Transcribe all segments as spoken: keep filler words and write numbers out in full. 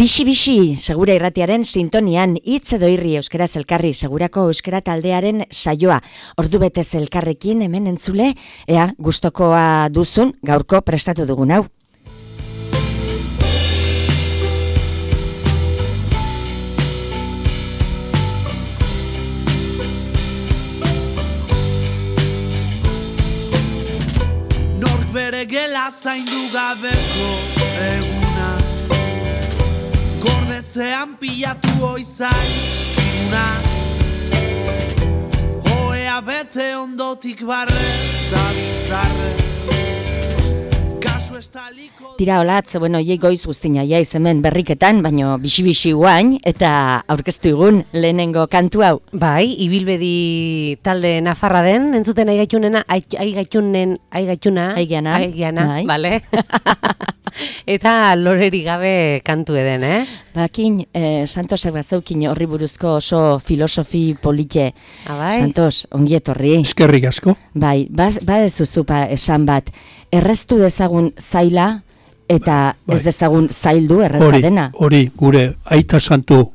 Bixi-bixi, segura irratiaren sintonian, hitz edo irri euskaraz elkarri, segurako euskara taldearen saioa. Ordu betez elkarrekin hemen entzule, ea gustokoa duzun gaurko prestatu dugun hau. Nork bere gela zaindu gabeko eguna, gordetzean pilatu oizaizkuna, oea bete ondotik barre eta bizarrez. Tira olatz, bueno, jei goiz guztina jaiz hemen berriketan, baino bixi-bixi guain, eta aurkeztu egun lehenengo kantu hau. Bai, ibilbedi talde nafarra den, entzuten aigatunena, aigaitunen, aigaituna, aigiana, aigiana, bale? Eta loreri gabe kantu eden, eh? Bakin, eh, Santosek bazaukin horri buruzko oso filosofi polite. Abai? Santos, ongi etorri. Eskerrik asko. Bai, badezuzupa esan bat, erreztu dezagun zaila eta bai. Ez dezagun zaildu erreza dena. Hori, gure aita santu,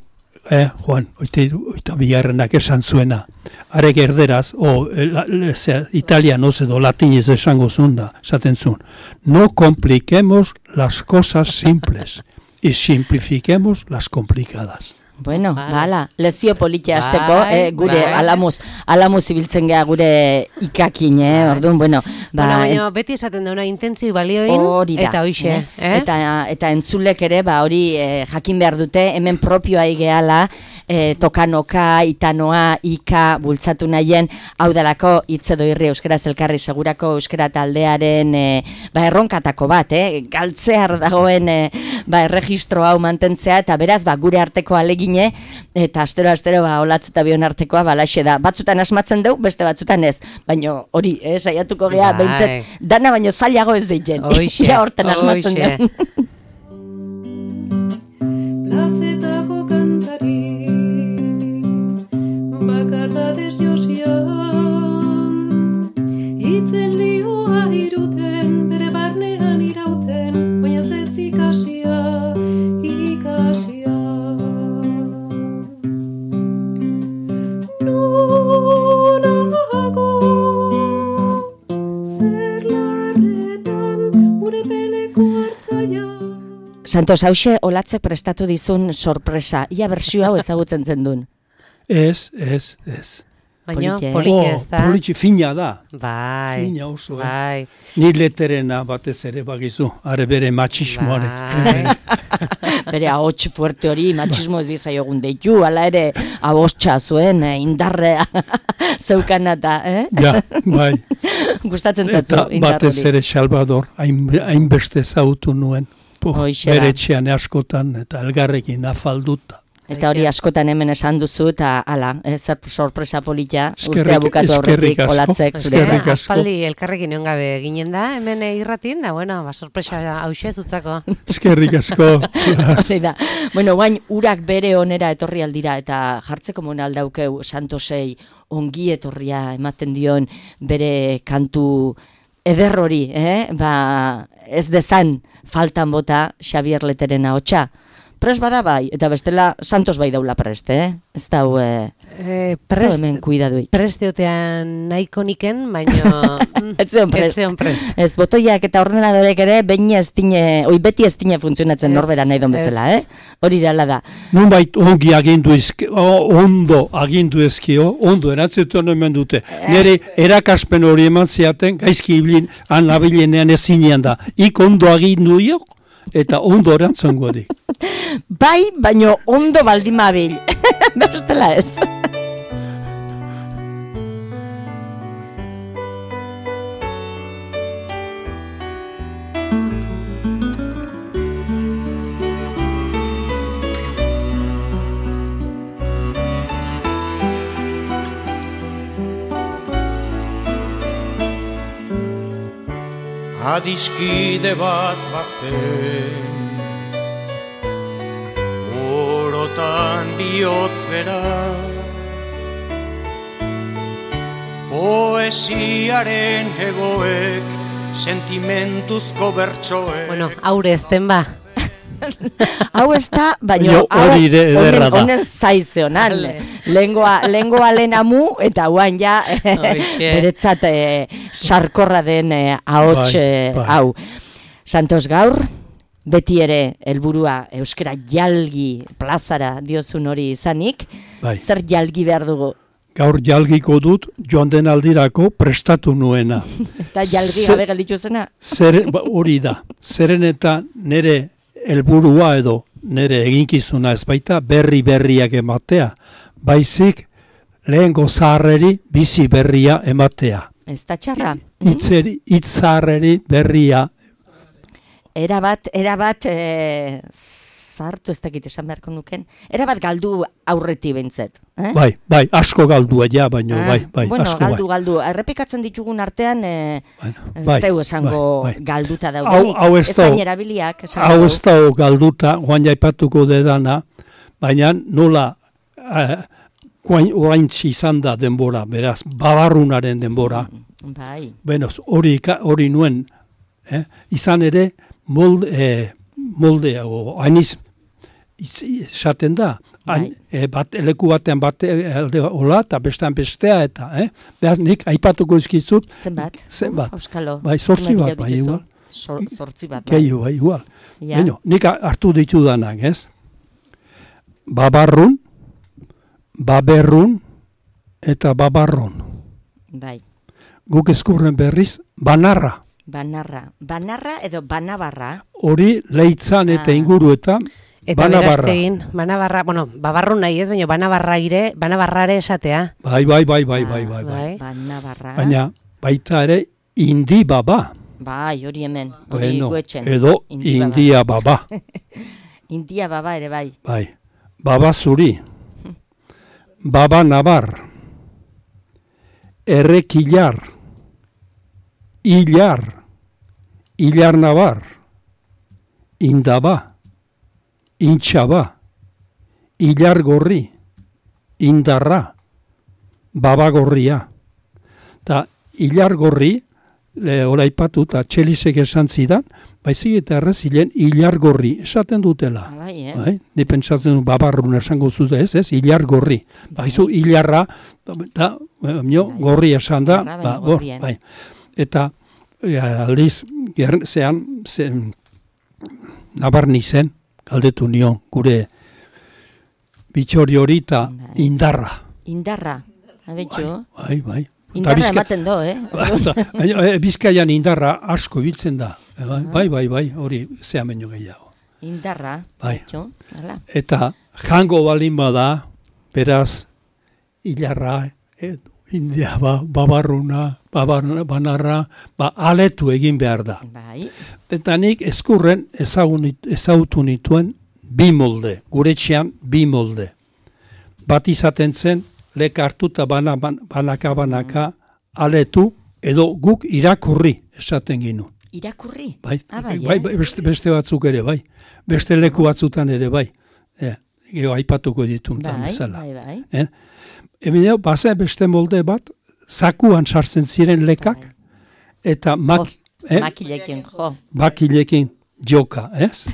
eh, Juan, oita, oita bigarrenak esan zuena. Arek erderaz, o la, le, sea, italianoz edo latinez esango zunda, esaten zuen. No compliquemos las cosas simples y simplifiquemos las complicadas. Bueno, vale. Bala, lezio politia azteko, eh, gure bai. alamuz, alamuz ibiltzen geha gure ikakin, eh, orduan, bueno. Ba, bueno, baina beti esaten dauna intentzio balioin, eta hoixe. Eh? Eh? Eta, eta entzulek ere, ba, hori eh, jakin behar dute, hemen propioa igeala, eh, tokanoka, itanoa, ika, bultzatu nahien, hau dalako hitz edo irri euskaraz elkarri segurako euskara taldearen eh, ba, erronkatako bat, eh, galtzear dagoen eh, ba, erregistro hau mantentzea, eta beraz, ba, gure arteko alegin eta astero-astero ba, olatz eta bion artekoa balaxe da. Batzutan asmatzen deu, beste batzutan ez. Baina hori, eh, saiatuko gea, behintzet, dana baino zailago ez deitzen. Oixe, ja horten asmatzen deu. Plazetako kantari, bakardadez josian, itzen lioa iruten, bere barnean irauten, baina ez ikasia, ikasia. Santos, hause olatzek prestatu dizun sorpresa. Ia bersio hau ezagutzen zen duen. Ez, ez, ez. Baina, politxe ez da. Politxe fina da. Bai. Fina oso, bai. eh? Ni leterena batez ere bagizu. Are bere matxismoare. Bai. Bere ahots fuerte hori, matxismo ez dizaiogun deitu, ala ere abostxa zuen, eh, indarrea zeukana eta, eh? Ja, bai. Gustatzen zatzu indarrori. Eta batez ere Salvador, hainbeste zautu nuen. Po, bere etxean askotan eta elgarrekin afalduta. Eta hori askotan hemen esan duzu eta ala, zer sorpresa politia, urtea bukatu aurretik olatzek zure. Aspaldi elkarrekin egon gabe ginen da, hemen irratin, da, bueno, ba, sorpresa hause zutzako. Eskerrik asko. da. Bueno, guain, urak bere onera etorri aldira eta jartzeko mona aldaukeu Santosei ongi etorria ematen dion bere kantu ederrori, eh? Ba, ez dezan faltan bota Xabier Leteren ahotsa. Prest bada bai, eta bestela Santos bai daula prest, eh? Ez dau, eh, eh, prest, hemen kuidaduik. Prest eotean nahiko niken, baina ez zeon prest. prest. Ez, botoiak eta ordenadorek ere, behin ez tine, oi beti ez tine funtzionatzen norbera nahi don bezala, eh? Hori dala da. Nun bait ongi agindu ezki, ondo agindu ezkio, ondo eratzetuan hemen dute. Nire erakaspen hori eman zeaten, gaizki ibilin, anabilenean ezinean da. Ik ondo agindu iok, eta ondo erantzongo dik. Bai, baino ondo baldimabil. Bestela ez. Adiskide bat bazen, orotan bihotz bera, poesiaren hegoek, sentimentuzko bertsoek. Bueno, aure ezten ba. Hau ez da, baina Jo, hori ere ederra da. honen zaizionan. Lengoa, lengoa lehenamu, eta huan ja beretzat eh, sarkorra den eh, ahots Bai, eh, bai. hau. Santos gaur, beti ere helburua euskara jalgi plazara diozun hori izanik, Bai. zer jalgi behar dugu? Gaur jalgiko dut joan den aldirako prestatu nuena. Eta jalgi Zer- gabe gelditu zena? Zer, ba, hori da, zeren eta nire helburua edo nire eginkizuna ez baita berri berriak ematea, baizik lehengo zaharreri bizi berria ematea. Ez da txarra. Itzeri, hitz zaharreri berria. Erabat, erabat, e, zartu ez dakit esan beharko nuken, erabat galdu aurreti bentzet. Eh? Bai, bai, asko galdua ja, baino, Ah, bai, bai, bueno, asko galdu, bai. galdu. Errepikatzen ditugun artean, e, Bueno, ez bai, deu esango bai, bai. galduta Hau, daudenik. hau ez Ezain da, erabiliak, esan hau ez da galduta, guain jaipatuko dedana, baina nola eh, guain oraintzi izan da denbora, beraz, babarrunaren denbora. Bai, Benoz, hori, ka- hori nuen, eh? izan ere, molde, eh, moldea, o, hainiz, iz- esaten da, hain, Bai. eh, bat, leku batean bate, alde hola, eta bestean bestea, eta, eh? Beraz, nik aipatuko izkizut, zenbat? zenbat. Uf, Auskalo. Bai, zortzi zenbat bat, bilo bai, dituzu? igual. Sor- Zortzi bat, bai. gehiago, bai, igual. Ja. Baina, nik hartu ditudanak, ez? Babarrun, baberrun, eta babarron. Bai, Guk eskurren berriz, banarra. banarra. Banarra edo banabarra. Hori leitzan eta Ah. inguruetan, Eta banabarra. beraztegin, banabarra, bueno, babarru nahi ez, baina banabarra ire, banabarrare esatea. Bai, bai, bai, bai, bai, Ah, bai, bai. bai. Banabarra. Baina, baita ere, indi baba. Bai, hori hemen, hori Bueno, guetxen. edo Indi baba. india baba. India baba ere bai. Bai. Baba zuri. Baba nabar. Errekilar. Ilar. Ilar nabar. Indaba. Intxaba. Ilar gorri. Indarra. Baba gorria. Ta ilar gorri, le, oraipatu eta txelisek esan zidan, baizik eta errezilen ilar gorri esaten dutela. Ah, bai, eh? Bai, ni pentsatzen du babarrun esango zute ez, ez, ilar gorri. Baizu, ilarra, da, mio, gorri esan da, Ilarra, ba, baina hor, gorrien. bai. Eta, e, aldiz, ger, zean, zen, nabarni zen, galdetu nion, gure bitxori hori eta Bai. indarra. Indarra. Abetxo. Bai, bai. Eta Indarra Bizka- ematen do, eh? Baina, eh, Bizkaian indarra asko ibiltzen da. Eh, Bai, bai, bai, bai, hori zea meño gehiago. Indarra. Bai. Abetxo. Hala. Eta jango balin bada, beraz, hilarra, eh, india, ba, babarruna, babaruna, banarra, ba, aletu egin behar da. Bai. Eta nik eskurren ezagun, ezagutu nituen bi molde, gure etxean bi molde. Bat izaten zen, leka hartuta bana, ban- banaka banaka aletu, edo guk irakurri esaten ginu. Irakurri. Bai, Ah, bai, bai, eh? bai, beste, beste batzuk ere, bai. Beste leku batzutan ere, bai. E, gero aipatuko dituntan Bai, bezala. bai, bai. Eh? Hemen bazen beste molde bat, zakuan sartzen ziren lekak, Bai. eta mak, Jo, eh, Makilekin, jo. bakilekin joka, ez?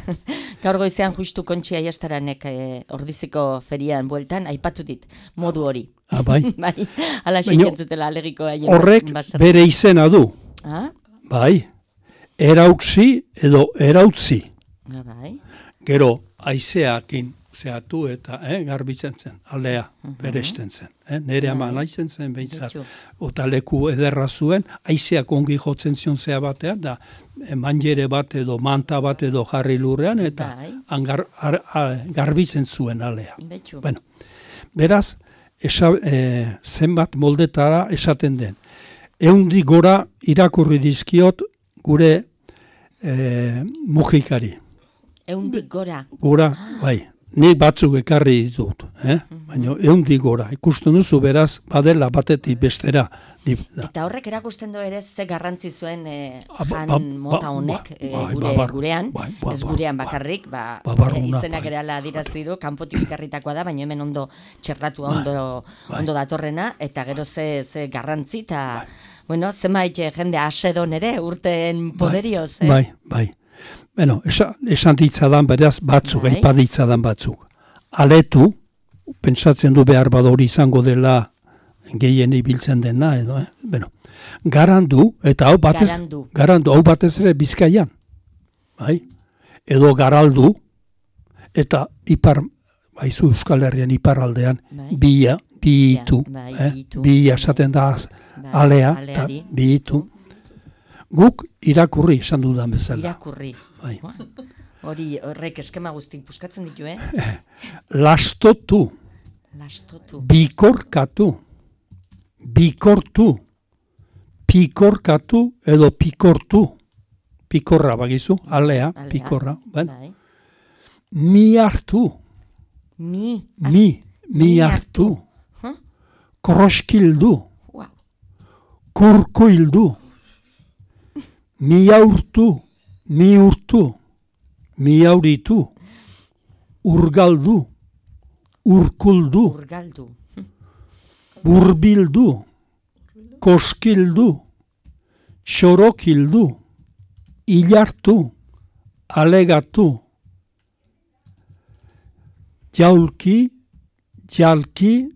Gaur goizean justu Kontxi Aiastaranek eh, ordiziko ferian bueltan, aipatu dit, modu hori. Ah, bai. bai, ala Baina xekentzutela alegiko haien Horrek baserri. bere izena du, Ah, bai. Erauksi edo erautzi. ah, bai. Gero, aizeakin zehatu eta eh, garbitzen zen, aldea, beresten zen. Eh? Nere ama naizen zen behintzat. Betxo. Ota leku ederra zuen, aizeak ongi jotzen zion zea batean, da eh, manjere bat edo manta bat edo jarri lurrean, eta Bai. han gar, ar, ar, garbitzen zuen alea. Betxo. Bueno, beraz, esa, eh, zenbat moldetara esaten den. Eundi gora irakurri dizkiot gure eh, mujikari. Eundik gora. Gora, bai, ni batzuk ekarri ditut, eh? Baina eundik gora, ikusten duzu beraz, badela batetik bestera. Di, da. Eta horrek erakusten du ere ze garrantzi zuen eh, Ah, ba- jan ba- mota ba- honek, ba- eh, bai, gure, babar- gurean, bai, ba- ez ba- gurean ba- bakarrik, ba, babarruna, eh, izenak bai. ere ala adirazi du, kanpotik ekarritakoa da, baina hemen ondo txertatua ondo, bai. ondo datorrena, eta gero ze, ze garrantzi, eta, bueno, zenbait eh, jende asedon ere, urten poderioz, eh? Bai, bai. Beno, esan, esan ditzadan beraz batzuk, Bai. aipa ditzadan batzuk. Aletu, pentsatzen du behar bada hori izango dela gehien ibiltzen dena, edo, eh? Beno, garandu, eta hau batez, Garandu. garandu, hau batez ere Bizkaian, bai? Edo garaldu, eta ipar, baizu Euskal Herrian iparraldean, Bai. bia, biitu, bai, eh? biitu. Bia esaten da Bai, alea, eta aleari. biitu. Guk irakurri esan dudan bezala. Irakurri. Bai. Hori horrek eskema guztik puskatzen ditu, eh? Lastotu, Lastotu. bikorkatu, bikortu, pikorkatu edo pikortu. Pikorra bagizu, alea, Alea. pikorra. Ben? Bai. Mi hartu, Mi. mi, mi mi hartu. Huh? Kroskildu, Wow. kurkoildu, mi aurtu, mi urtu, mi auritu, urgaldu, urkuldu, Urgaldu. burbildu, koskildu, xorokildu, ilartu, alegatu, jaulki, jalki,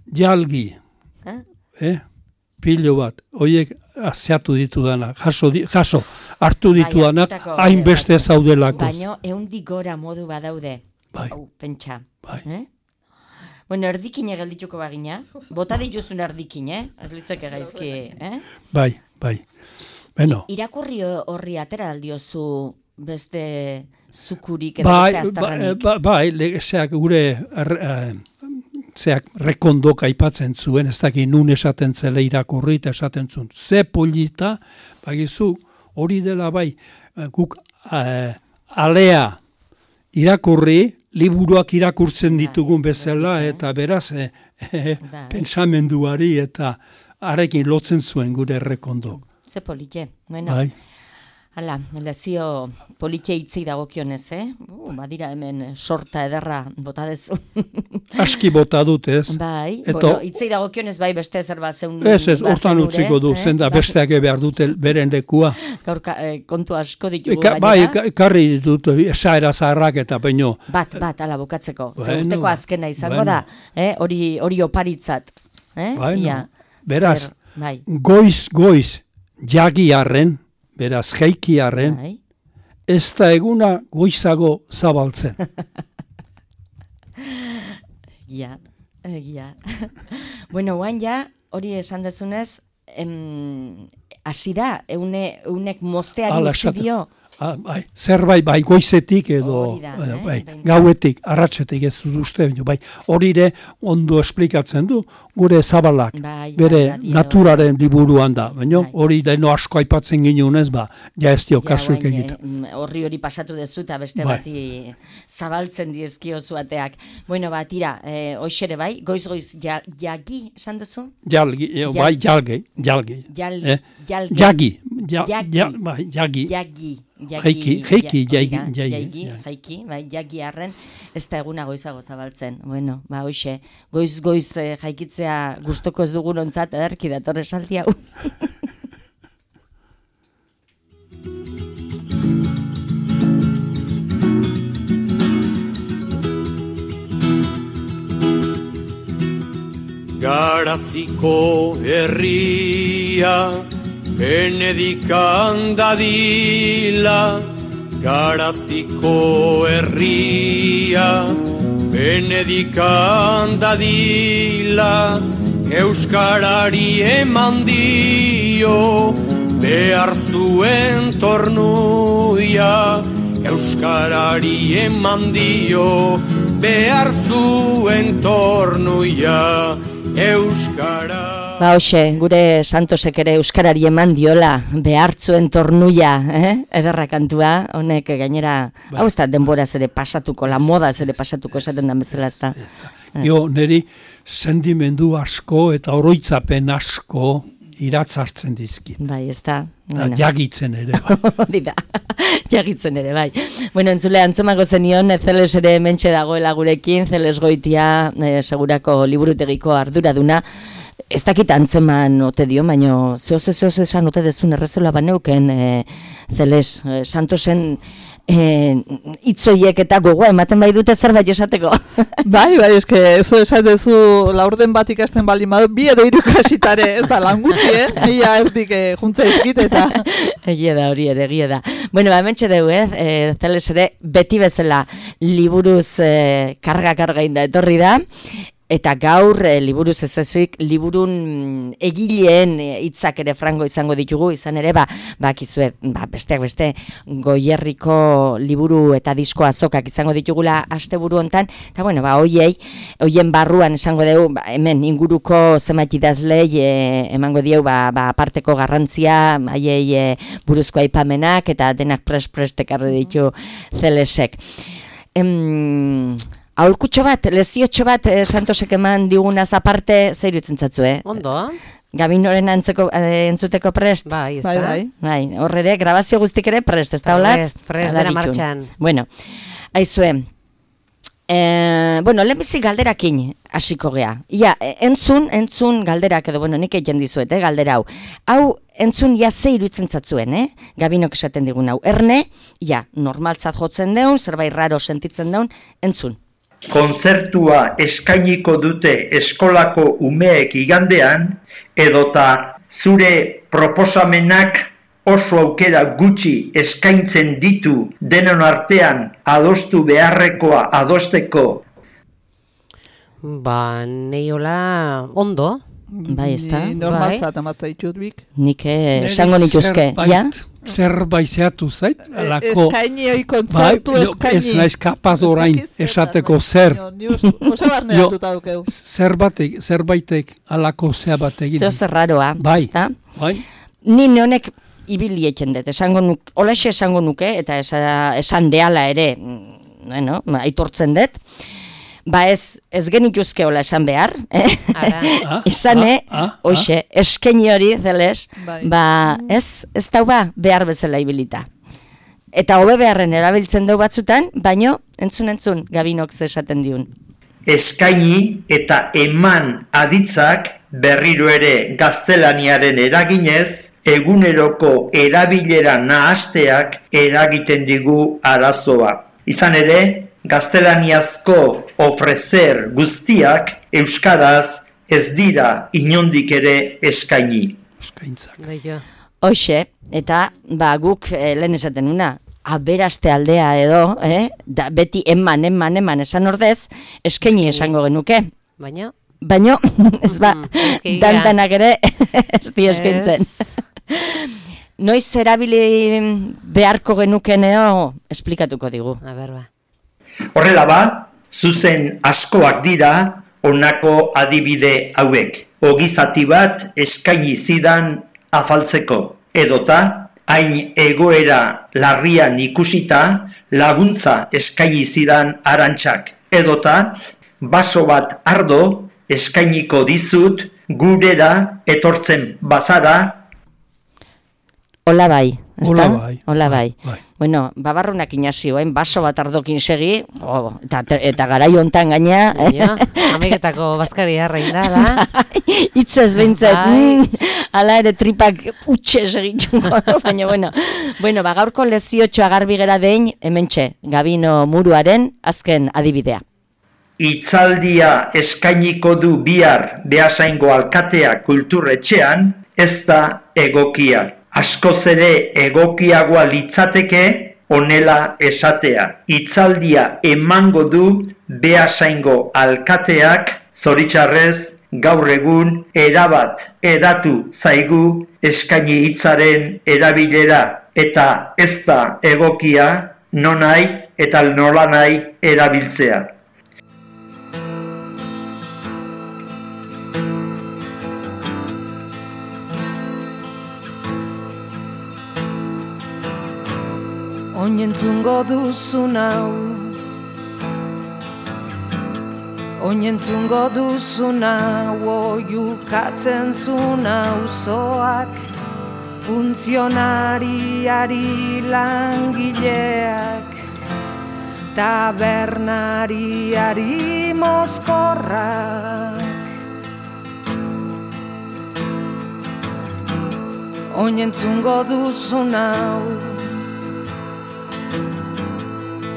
jalgi. Eh? Eh? Pilo bat, horiek azeatu ditudana, jaso, di, jaso hartu ditudanak, hartutako, hainbeste bai. zaudelako. Baino ehundik gora modu badaude. Bai. Hau, pentsa. Bai. Eh? Bueno, erdikine geldituko bagina. Bota dituzun erdikin, eh? Ez litzake gaizki, eh? Bai, bai. Beno, Irakurri horri atera aldiozu beste zukurik edo bai, beste ba, aztarranik. ba, bai, le- zeak gure er, eh, zeak rekondok aipatzen zuen, ez dakit nun esaten zela irakurri eta esaten zuen. Ze polita, bagizu, hori dela bai, eh, guk eh, alea irakurri, liburuak irakurtzen ditugun bezala, eta beraz, eh, eh, Bai. pentsamenduari eta arekin lotzen zuen gure rekondok. Ze polite. Bueno, Bai. hala, lezio polite hitzei dagokionez, eh? Uh, badira hemen sorta ederra bota dezu. Aski bota dut, ez? Bai, Eta- bueno, hitzei dagokionez bai beste zer bat zeun. Ez, ez, hortan bazenure, utziko du, eh? zenda Bai, besteak behar dute beren lekua. Gaur ka- eh, kontu asko ditugu Eka, gainera. bai, eka- ekarri ditut, esaera zaharrak eta baino. Bat, bat, ala bukatzeko. Ze Bueno, urteko azkena izango bueno. da, eh? hori, hori oparitzat. Eh? Bueno, Ia, beraz. zer, bai, Goiz, goiz, jagiarren, beraz, jaikiarren, bai. ez da eguna goizago zabaltzen. Egia, egia. Bueno, guain ja, hori esan dezunez, em, hasi da, eune, eunek mozteari Hala utzi esaten. dio. Ah, bai, zerbait bai goizetik edo Hori da, bueno, eh, bai, behintzat. gauetik, arratsetik ez dut uste, baina bai, hori ere ondo esplikatzen du gure zabalak, Bai, bere bai, bai, naturaren liburuan da, baina Bai. hori deno asko aipatzen ginunez, ba, ja ez dio Ja, kasuik guain, egiten. eh, horri hori pasatu dezu eta beste Bai. bati zabaltzen dizkio zuateak. Bueno, ba, tira, eh, hoxere bai, goiz-goiz ja, jagi, esan duzu? Jalgi, eh, Jal- bai, jalgi, jalgi. Jal, Eh? jalge. Jagi, ja, Jagi. ja, bai, jagi. Jagi. Jaiki, jaiki, ja- jaigi, hori da, jaigi, jaigi, jaigi. jaiki, bai, jagi arren, ez da eguna goizago zabaltzen. Bueno, ba, hoxe, goiz-goiz eh, jaikitzea gustoko ez dugunontzat, ederki dator esaldi hau. Garaziko herria Benedikan dadila, Garaziko herria Benedikan dadila, Euskarari eman dio behar zuen tornuia, Euskarari eman dio behar zuen tornuia, Euskara. Ba, hoxe, gure Santosek ere euskarari eman diola behartzuen tornuia, eh? Ederra kantua, honek gainera, hau ez da denboraz ere pasatuko, la modaz ere pasatuko esaten da bezala ez da. Jo, niri sentimendu asko eta oroitzapen asko iratzartzen dizkit. Bai, ez da. Da, jagitzen ere, bai. Hori da, jagitzen ere, bai. Bueno, entzule, antzemago zenion, Zeles ere mentxe dagoela gurekin, Zeles Goitia, eh, segurako liburutegiko arduraduna, ez dakit antzeman ote dio, baino zehoz zehoz esan ote dezun errezela baneuken, eh, Zeles, eh, Santosen e, itzoiek eta gogoa ematen bai dute zerbait esateko. Bai, bai, eske, eso esatezu laurden bat ikasten bali madu, bi edo hiru ikasitare, ez da lan gutxi, eh? Mila erdik eh, juntza izkit eta... Egia da, hori ere, egia da. Bueno, ba, hementxe dugu, eh? E, Zeles ere, beti bezala liburuz e, karga-karga inda etorri da, eta gaur e, liburuz ez ezuik, liburun egileen hitzak ere frango izango ditugu, izan ere, ba, bakizue, ba, besteak beste, Goierriko liburu eta disko azokak izango ditugula asteburu hontan, eta bueno, ba, hoiei, hoien barruan esango dugu, ba, hemen inguruko zenbait idazlei e, emango dieu, ba, ba, aparteko garrantzia, haiei e, buruzko aipamenak, eta denak pres-prest ekarri ditu Zelesek. Em... Aholkutxo bat, leziotxo bat, eh, Santosek eman digunaz aparte, zer irutzen zatzu, eh? Ondo. Gabinoren antzeko, eh, entzuteko prest? Bai, ez Bai, da. bai. Bai, horre grabazio guztik ere prest, ez da holatz? Prest, prest, dena martxan. Bueno, aizue, eh, bueno, lehenbizi galderakin hasiko gea. Ia, entzun, entzun galderak edo, bueno, nik egin dizuet, eh, galdera hau. Hau, entzun, ja, ze iruditzen zatzuen, eh? Gabinok esaten digun hau. Erne, ja, normaltzat jotzen deun, zerbait raro sentitzen deun, entzun. Kontzertua eskainiko dute eskolako umeek igandean, edota zure proposamenak oso aukera gutxi eskaintzen ditu denon artean adostu beharrekoa adosteko. Ba, neiola ondo. Bai, ez da? Ni normaltzat amatza ditut bik. Nik eh, esango nituzke, ja? Zerbait zeatu zait, alako... Eskaini hoi kontzertu bai, eskaini. ez naiz kapaz orain esateko zer. Osa barneatuta dukeu. Zerbatek, zerbaitek alako zea bat egin. Zeo zer raroa, Bai, ezta? bai. Ni neonek ibili eten dut, esango nuke, olaxe esango nuke, eta esa, esan deala ere, bueno, aitortzen dut, ba ez, ez genituzke hola esan behar, eh? Ara. Izane, ah, ah, hoxe, eskaini hori, Zeles, Bai. ba ez, ez dau ba behar bezala ibilita. Eta hobe beharren erabiltzen dau batzutan, baino, entzun entzun, Gabinok ze esaten diun. Eskaini eta eman aditzak berriro ere gaztelaniaren eraginez, eguneroko erabilera nahasteak eragiten digu arazoa. Izan ere, gaztelaniazko ofrecer guztiak euskaraz ez dira inondik ere eskaini. Eskaintzak. Bai, jo. Hoxe, eta ba guk eh, lehen esaten una, aberaste aldea edo, eh? Da, beti eman, eman, eman esan ordez, eskaini esango genuke. Baina, Baino, ez ba, Mhm, eski gira. dantanak ere ez di eskaintzen. ez. Noiz erabili beharko genukeneo, esplikatuko digu. A ber, ba. Horrela ba, zuzen askoak dira honako adibide hauek. Ogizati bat eskaini zidan afaltzeko, edota hain egoera larrian ikusita laguntza eskaini zidan Arantxak, edota baso bat ardo eskainiko dizut gurera etortzen bazara. Hola bai, ezta? Hola bai, Hola bai. bai, bai. Bueno, babarrunak inazioen, baso bat ardokin segi, oh, eta, eta garai hontan gaina, Baina, ameketako bazkari harrein dala. hitzez behintzat, Bai. mm, ala ere tripak utxe segitxungo, baina bueno, bueno, ba, gaurko leziotxoa garbi gera dein, hementxe, Gabino Muruaren azken adibidea. Hitzaldia eskainiko du bihar Beasaingo alkatea kulturretxean, ez da egokia. Askoz ere egokiagoa litzateke honela esatea. Hitzaldia emango du Beasaingo alkateak, zoritxarrez gaur egun erabat edatu zaigu eskaini hitzaren erabilera, eta ez da egokia nonai eta nolanai erabiltzea. Oinentzungo duzun hau, oinentzungo duzun hau, oiukatzen zun auzoak, funtzionariari langileak, tabernariari mozkorrak. Oinentzungo duzun hau,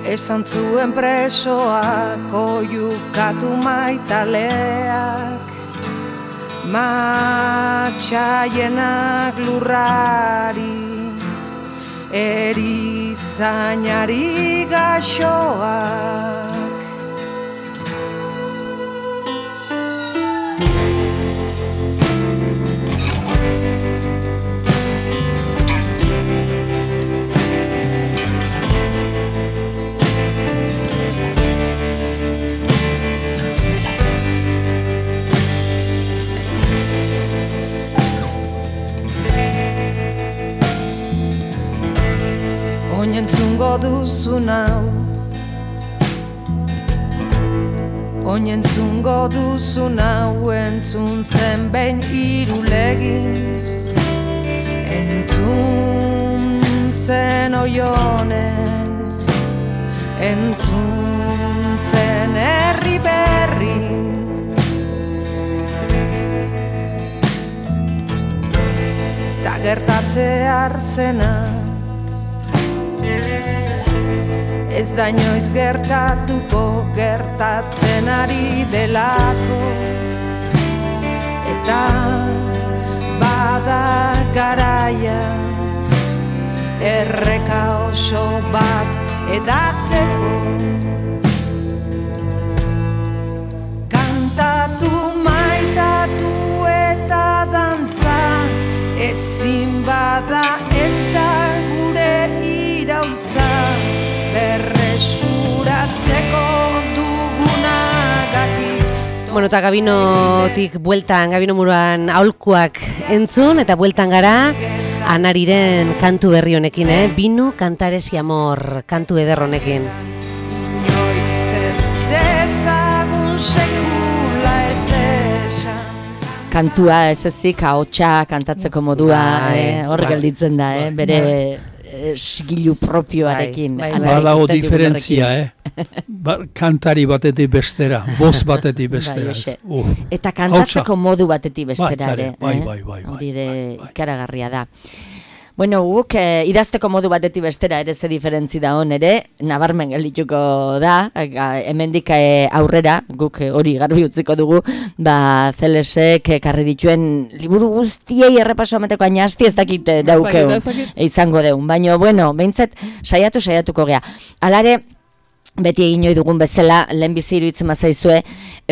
esan zuen presoak oiukatu maitaleak, matxaienak lurrari, erizainari gaxoak. Oinentzungo duzun hau, oinentzungo duzun hau, entzun zen behin irulegin, entzun zen oionen, entzun zen herri berrin. Ta gertatze arzena, ez da inoiz gertatuko, gertatzen ari delako, eta bada garaia erreka oso bat edateko. Kantatu, maitatu eta dantza, ezin bada ez da gure iraultza, berreskuratzeko dugunagatik. Bueno, eta Gabinotik bueltan, Gabino muruan aholkuak entzun, eta bueltan gara Anariren kantu berri honekin, eh? Binu kantaresi amor kantu eder honekin. Inoiz ez dezagun sekula ez esan. Kantua ez ezik, ahotsa kantatzeko modua, Bai, eh, hor bai. gelditzen da, eh, bere esgilu propioarekin. Bai, bai, Anarik Badago ez da diferentzia, eh? Ba, kantari batetik bestera, boz batetik Bai, bestera. hoxe. Uh, Eta kantatzeko hautsa. modu batetik bestera Bai, ere. bai, eh? bai, bai, bai, Hori ere bai, bai. ikaragarria da. Bueno, guk eh, idazteko modu batetik bestera ere ze diferentzi da hon ere, nabarmen geldituko da, eh, hemendik eh, aurrera, guk eh, hori garbi utziko dugu, ba, Zelesek ekarri dituen liburu guztiei errepaso ameteko aina asti ez dakit eh, daukeun, ez dakit. izango deun, baina, bueno, behintzat saiatu saiatuko gea. Alare, beti egin ohi dugun bezala, lehenbizi iruditzen bazaizue,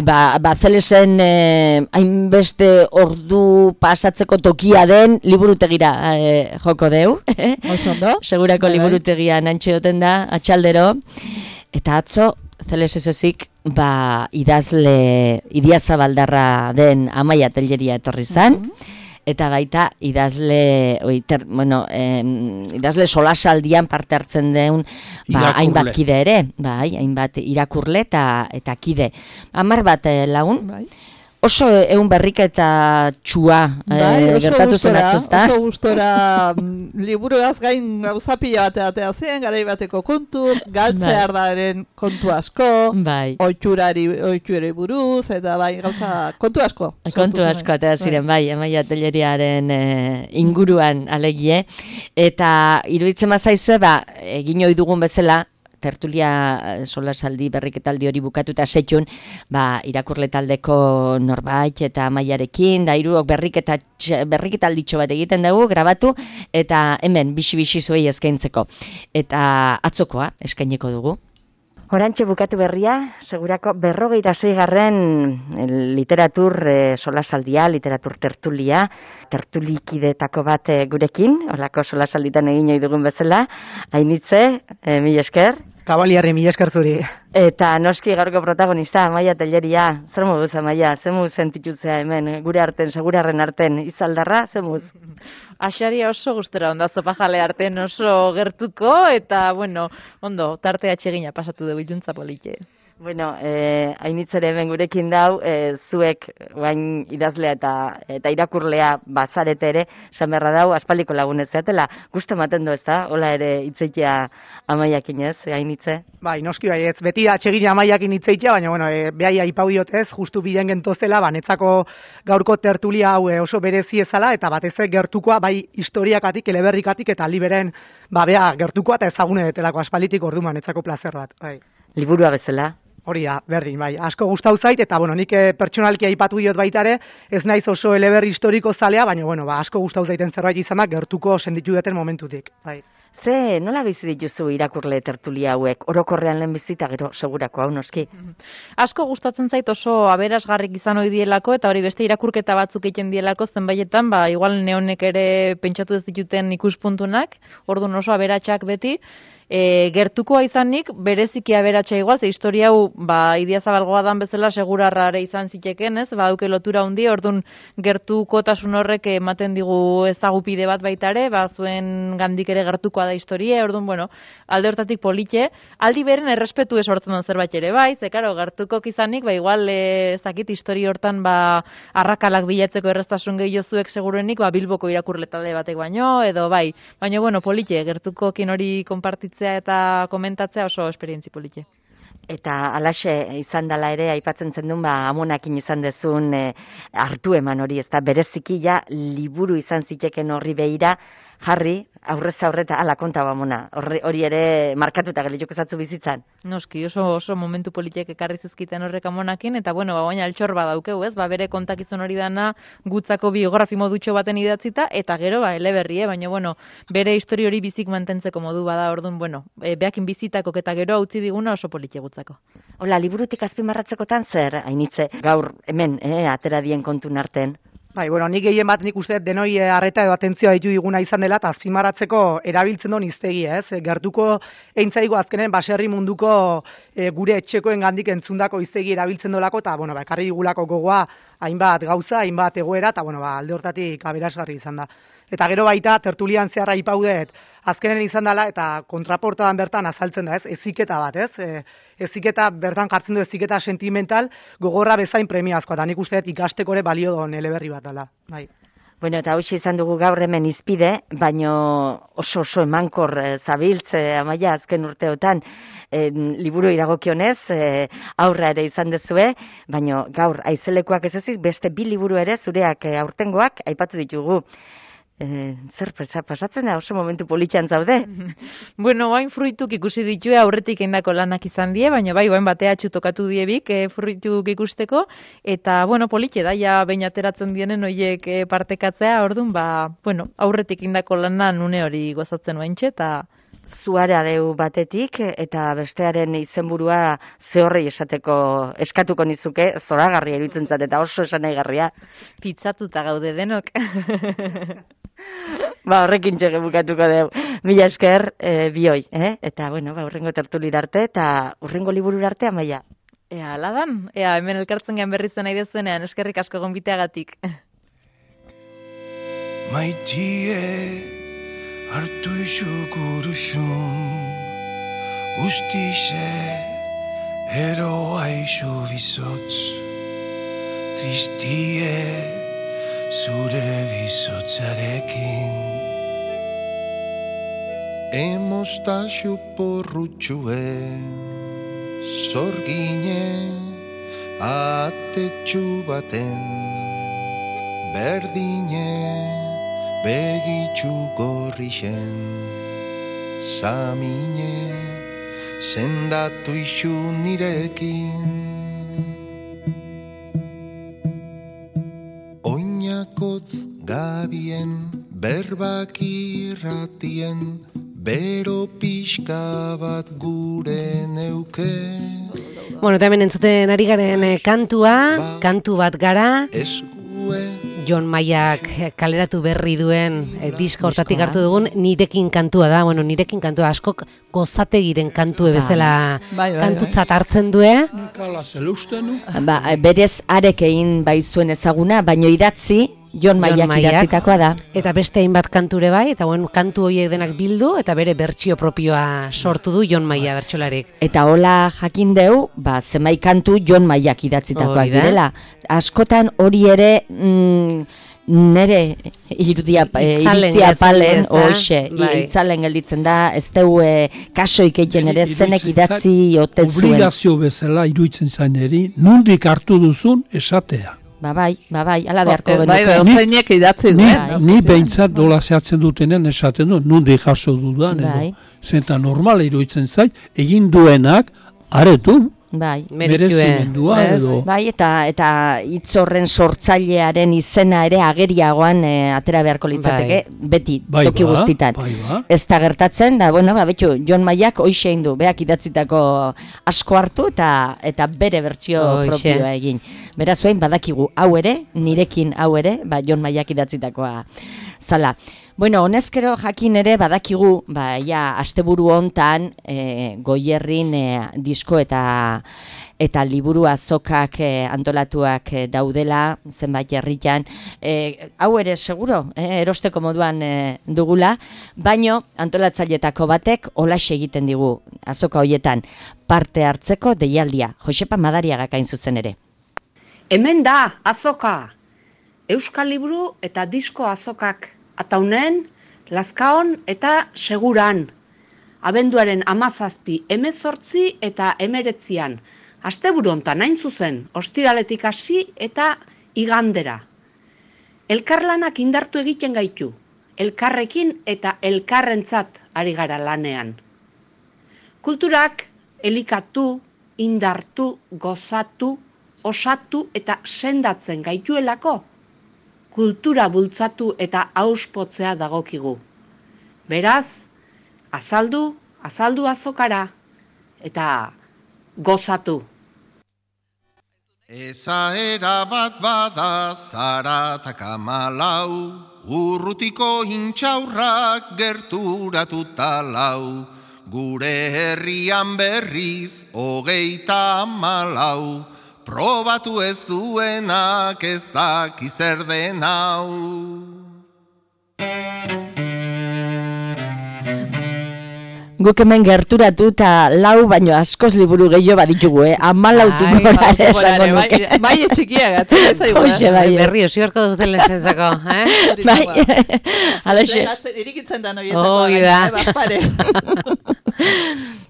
ba, ba Zelesen eh, hainbeste ordu pasatzeko tokia den liburutegira eh, joko deu. Oso ondo. Segurako Bai, bai. liburutegia nantxeoten da, atxaldero. Eta atzo, Zeles ez ezik, ba, idazle, idiazabaldarra den Amaia Telleria etorri zan. Eta baita idazle, oi, ter, bueno, em, idazle solasaldian parte hartzen den ba, Irakurle. hainbat kide ere, bai, hainbat irakurle eta, eta kide. Hamar bat eh, lagun, Bai. oso ehun berriketa txua Bai, eh, oso gertatu zen gustora, atzo, ezta? oso gustora mm, liburuaz gain gauza pila bat atea zen, garai bateko kontu, Bai. galtzeardaren kontu asko, Bai. oitxurari, oitxurei buruz, eta bai, gauza, kontu asko. sortu Kontu zen. asko eta ziren, bai, Amaia Telleriaren eh, inguruan alegie. Eta iruditzen bazaizue, ba, egin ohi dugun bezala, tertulia eh, solasaldi berriketaldi hori bukatuta setxun, ba, irakurle taldeko norbait eta Amaiarekin, da hiruok berriketa berriketalditxo bat egiten dugu, grabatu, eta hemen bixi-bixi zuei eskaintzeko. Eta atzokoa eskaineko dugu. Orantxe bukatu berria, segurako berrogeita seigarren literatur eh, solasaldia, literatur tertulia, tertulikidetako bat eh, gurekin, horlako solasalditan egin ohi dugun bezala, hainitze, eh, mila esker. Kabaliarri mila esker zuri. Eta noski gaurko protagonista, Amaia Telleria, zer moduz Amaia, zer moduz sentitutzea hemen, gure arten, segurarren arten, izaldarra, zer moduz? Axaria oso gustora onda zopajale arten oso gertuko, eta, bueno, ondo, tarte atsegina pasatu dugu iluntza politxe. Bueno, eh, hainitzere hemen gurekin dau, eh, zuek bain idazlea eta eta irakurlea bazarete ere, esan beharra dau, aspaldiko lagunez zeatela, gustu ematen du ez da, hola ere hitzeitea Amaiakin ez, hainitze? Bai, noski bai, ez beti atsegin Amaiakin hitzeitea, baina bueno, e, behai aipau diotez, justu bilen gentozela, ba, netzako gaurko tertulia hau e, oso berezi ezala, eta batez ere gertukoa, bai historiakatik, eleberrikatik, eta liberen, ba, bea, gertukoa eta ezagune detelako aspalitik orduan, netzako plazer bat, bai. Liburua bezala? Hori da, berdin, bai, asko gustau zait, eta bueno, nik e, pertsonalki aipatu diot baita ere, ez naiz oso eleberri historiko zalea, baina bueno, ba, asko gustau zaiten zerbait izan da, gertuko senditu duten momentutik, bai. Ze, nola bizi dituzu irakurle tertulia hauek? Orokorrean lehen bizita, gero segurako hau noski. Asko gustatzen zait oso aberasgarrik izan ohi dielako eta hori beste irakurketa batzuk egiten dielako zenbaietan, ba igual neonek ere pentsatu ez dituten ikuspuntunak, orduan oso aberatsak beti. E, gertukoa izanik, bereziki aberatsa igual, ze historia hau, ba, Idiazabalgoa dan bezala segurarrare izan ziteken, ez? Ba, duke lotura hundi, orduan gertukotasun horrek ematen digu ezagupide bat baita ere, ba, zuen gandik ere gertukoa da historia, orduan, bueno, alde hortatik politxe, aldi beren errespetu esortzen duen zerbait ere, bai, ze, karo, gertukok izanik, ba, igual, e, zakit, histori hortan, ba, arrakalak bilatzeko erreztasun gehiago zuek segurenik, ba, Bilboko irakurletale batek baino, edo, bai, baina, bueno, politxe, gertukokin hori konpartitzen eta komentatzea oso esperientzi polite. Eta alaxe izan dela ere, aipatzen zen duen, ba, Amonakin izan dezun e, hartu eman hori, ez da, bereziki ja liburu izan ziteken horri behira, jarri, aurrez aurreta, ala konta Amona, hori, hori ere markatuta gelituk ezatzu bizitzan. Noski, oso oso momentu politiek ekarri zizkiten horrek Amonakin, eta bueno, ba, baina altxor badaukeu, ez, ba, bere kontakizun hori dana gutzako biografi modutxo baten idatzita, eta gero, ba, eleberri, eh? Baina, bueno, bere histori hori bizik mantentzeko modu bada, orduan, bueno, e, beakin bizitako eta gero utzi diguna oso politxe gutzako. Hola, liburutik azpimarratzekotan zer, hainitze, gaur hemen, eh, atera dien kontun arten? Bai, bueno, nik gehien bat nik uste denoi harreta edo atentzioa ditu diguna izan dela, eta azpimarratzeko erabiltzen duen iztegi, ez? Gertuko eintzaigo azkenen baserri munduko e, gure etxekoen gandik entzundako iztegi erabiltzen dolako, eta, bueno, ba, ekarri digulako gogoa hainbat gauza, hainbat egoera, eta, bueno, ba, alde hortatik aberasgarri izan da. Eta gero baita, tertulian zeharra ipaudet, azkenen izan dela, eta kontraportadan bertan azaltzen da, ez? Eziketa bat, ez? E, eziketa, bertan jartzen du eziketa sentimental, gogorra bezain premiazkoa, eta nik uste dut ikasteko ere balio don eleberri bat dela. Bai. Bueno, eta hauxe izan dugu gaur hemen izpide, baino oso oso emankor e, zabiltze Amaia azken urteotan e, liburu iragokionez, e, aurra ere izan dezue, baino gaur aizelekoak ez ezik, beste bi liburu ere zureak e, aurtengoak aipatu ditugu. Eh, zer pasatzen da, oso momentu politxan zaude? Bueno, bain fruituk ikusi ditue aurretik indako lanak izan die, baina bai, bain batea txutokatu diebik e, fruituk ikusteko, eta, bueno, politxe da, ja behin ateratzen dienen horiek e, partekatzea, orduan, ba, bueno, aurretik indako lanan une hori gozatzen baintxe, eta zuara deu batetik, eta bestearen izenburua zehorrei esateko eskatuko nizuke, zoragarria iruditzen zat, eta oso esanaigarria. Pitzatuta gaude denok. Ba, horrekin txege bukatuko deu. Mila esker, e, bioi, eh? Eta, bueno, ba, urrengo tertulir arte, eta urrengo liburur arte, Amaia. Ea, aladan, ea, hemen elkartzen gen berri zen nahi dezuenean, eskerrik asko gonbiteagatik. Maitie hartu isu guruxun, guztize eroa isu bizotz, tristie zure bizotzarekin. Emostaxu porrutxuen, zorgine atetxu baten, berdine begitxu gorrixen, samine sendatu isu nirekin. Oinakotz gabien berbak irratien, bero pixka bat gure neuke. Bueno, eta hemen entzuten ari garen kantua, kantu bat gara, Jon Maiak kaleratu berri duen eh, diska hortatik hartu dugun nirekin kantua da. Bueno, nirekin kantua askok gozategiren kantue bezala bai, bai, kantutzat hartzen due. Ba, berez arek egin bai zuen ezaguna, baino idatzi Jon Maiak idatzitakoa da. Eta beste hainbat kanture bai, eta bueno, kantu horiek denak bildu, eta bere bertsio propioa sortu du Jon Maia bertsolarik. Eta hola jakin deu, ba, zenbait kantu Jon Maiak idatzitakoak direla. Askotan hori ere... Mm, nere irudia iritzia palen hoxe, itzalen gelditzen da, ez deu e, kasoik egin ere zenek idatzi oten zuen. Obligazio bezala iruditzen zain eri, nundik hartu duzun esatea. Ba bai, ba bai, ala beharko genuke. Bai, dozeinek idatzi duen. Ni behintzat dola zehatzen dutenen esaten du, nundik jaso dudan, edo. Zenta normal iruditzen zait, egin duenak, aretu, bai, merezimendua edo. Bai, eta eta hitz horren sortzailearen izena ere ageriagoan e, atera beharko litzateke, bai. Beti bai toki ba, guztitan. Bai ba. Ez da gertatzen, da, bueno, ba, betxu, Jon Maiak hoxe egin du, beak idatzitako asko hartu eta eta bere bertsio propioa egin. Beraz, behin badakigu hau ere, nirekin hau ere, ba, Jon Maiak idatzitakoa zala. Bueno, honezkero jakin ere badakigu, ba, ja, asteburu hontan e, Goierrin e, disko eta eta liburu azokak e, antolatuak e, daudela, zenbait herritan. E, hau ere seguro, e, erosteko moduan e, dugula, baino antolatzailetako batek holaxe egiten digu azoka hoietan parte hartzeko deialdia. Josepa Madariagak hain zuzen ere. Hemen da azoka, Euskal Liburu eta disko azokak. Ataunen, Lazkaon eta Seguran. Abenduaren hamazazpi, hemezortzi eta hemeretzian. Asteburu hontan hain zuzen, ostiraletik hasi eta igandera. Elkarlanak indartu egiten gaitu. Elkarrekin eta elkarrentzat ari gara lanean. Kulturak elikatu, indartu, gozatu, osatu eta sendatzen gaituelako. Kultura bultzatu eta auspotzea dagokigu. Beraz, azaldu, azaldu azokara, eta gozatu. Ezaera bat bada zaratak amalau, urrutiko intxaurrak gerturatuta lau, gure herrian berriz hogeita amalau, probatu ez duenak ez daki zer den hau. Guk hemen gerturatu eta lau baino askoz liburu gehiago baditugu, eh? Amalautu gora ere esango nuke. Bai, etxikia gatzen, ez aigu. Hoxe, bai. Berri, osiorko duten lehenzentzako, eh? Bai, alaxe. Irikitzen da noietako. Hoi da.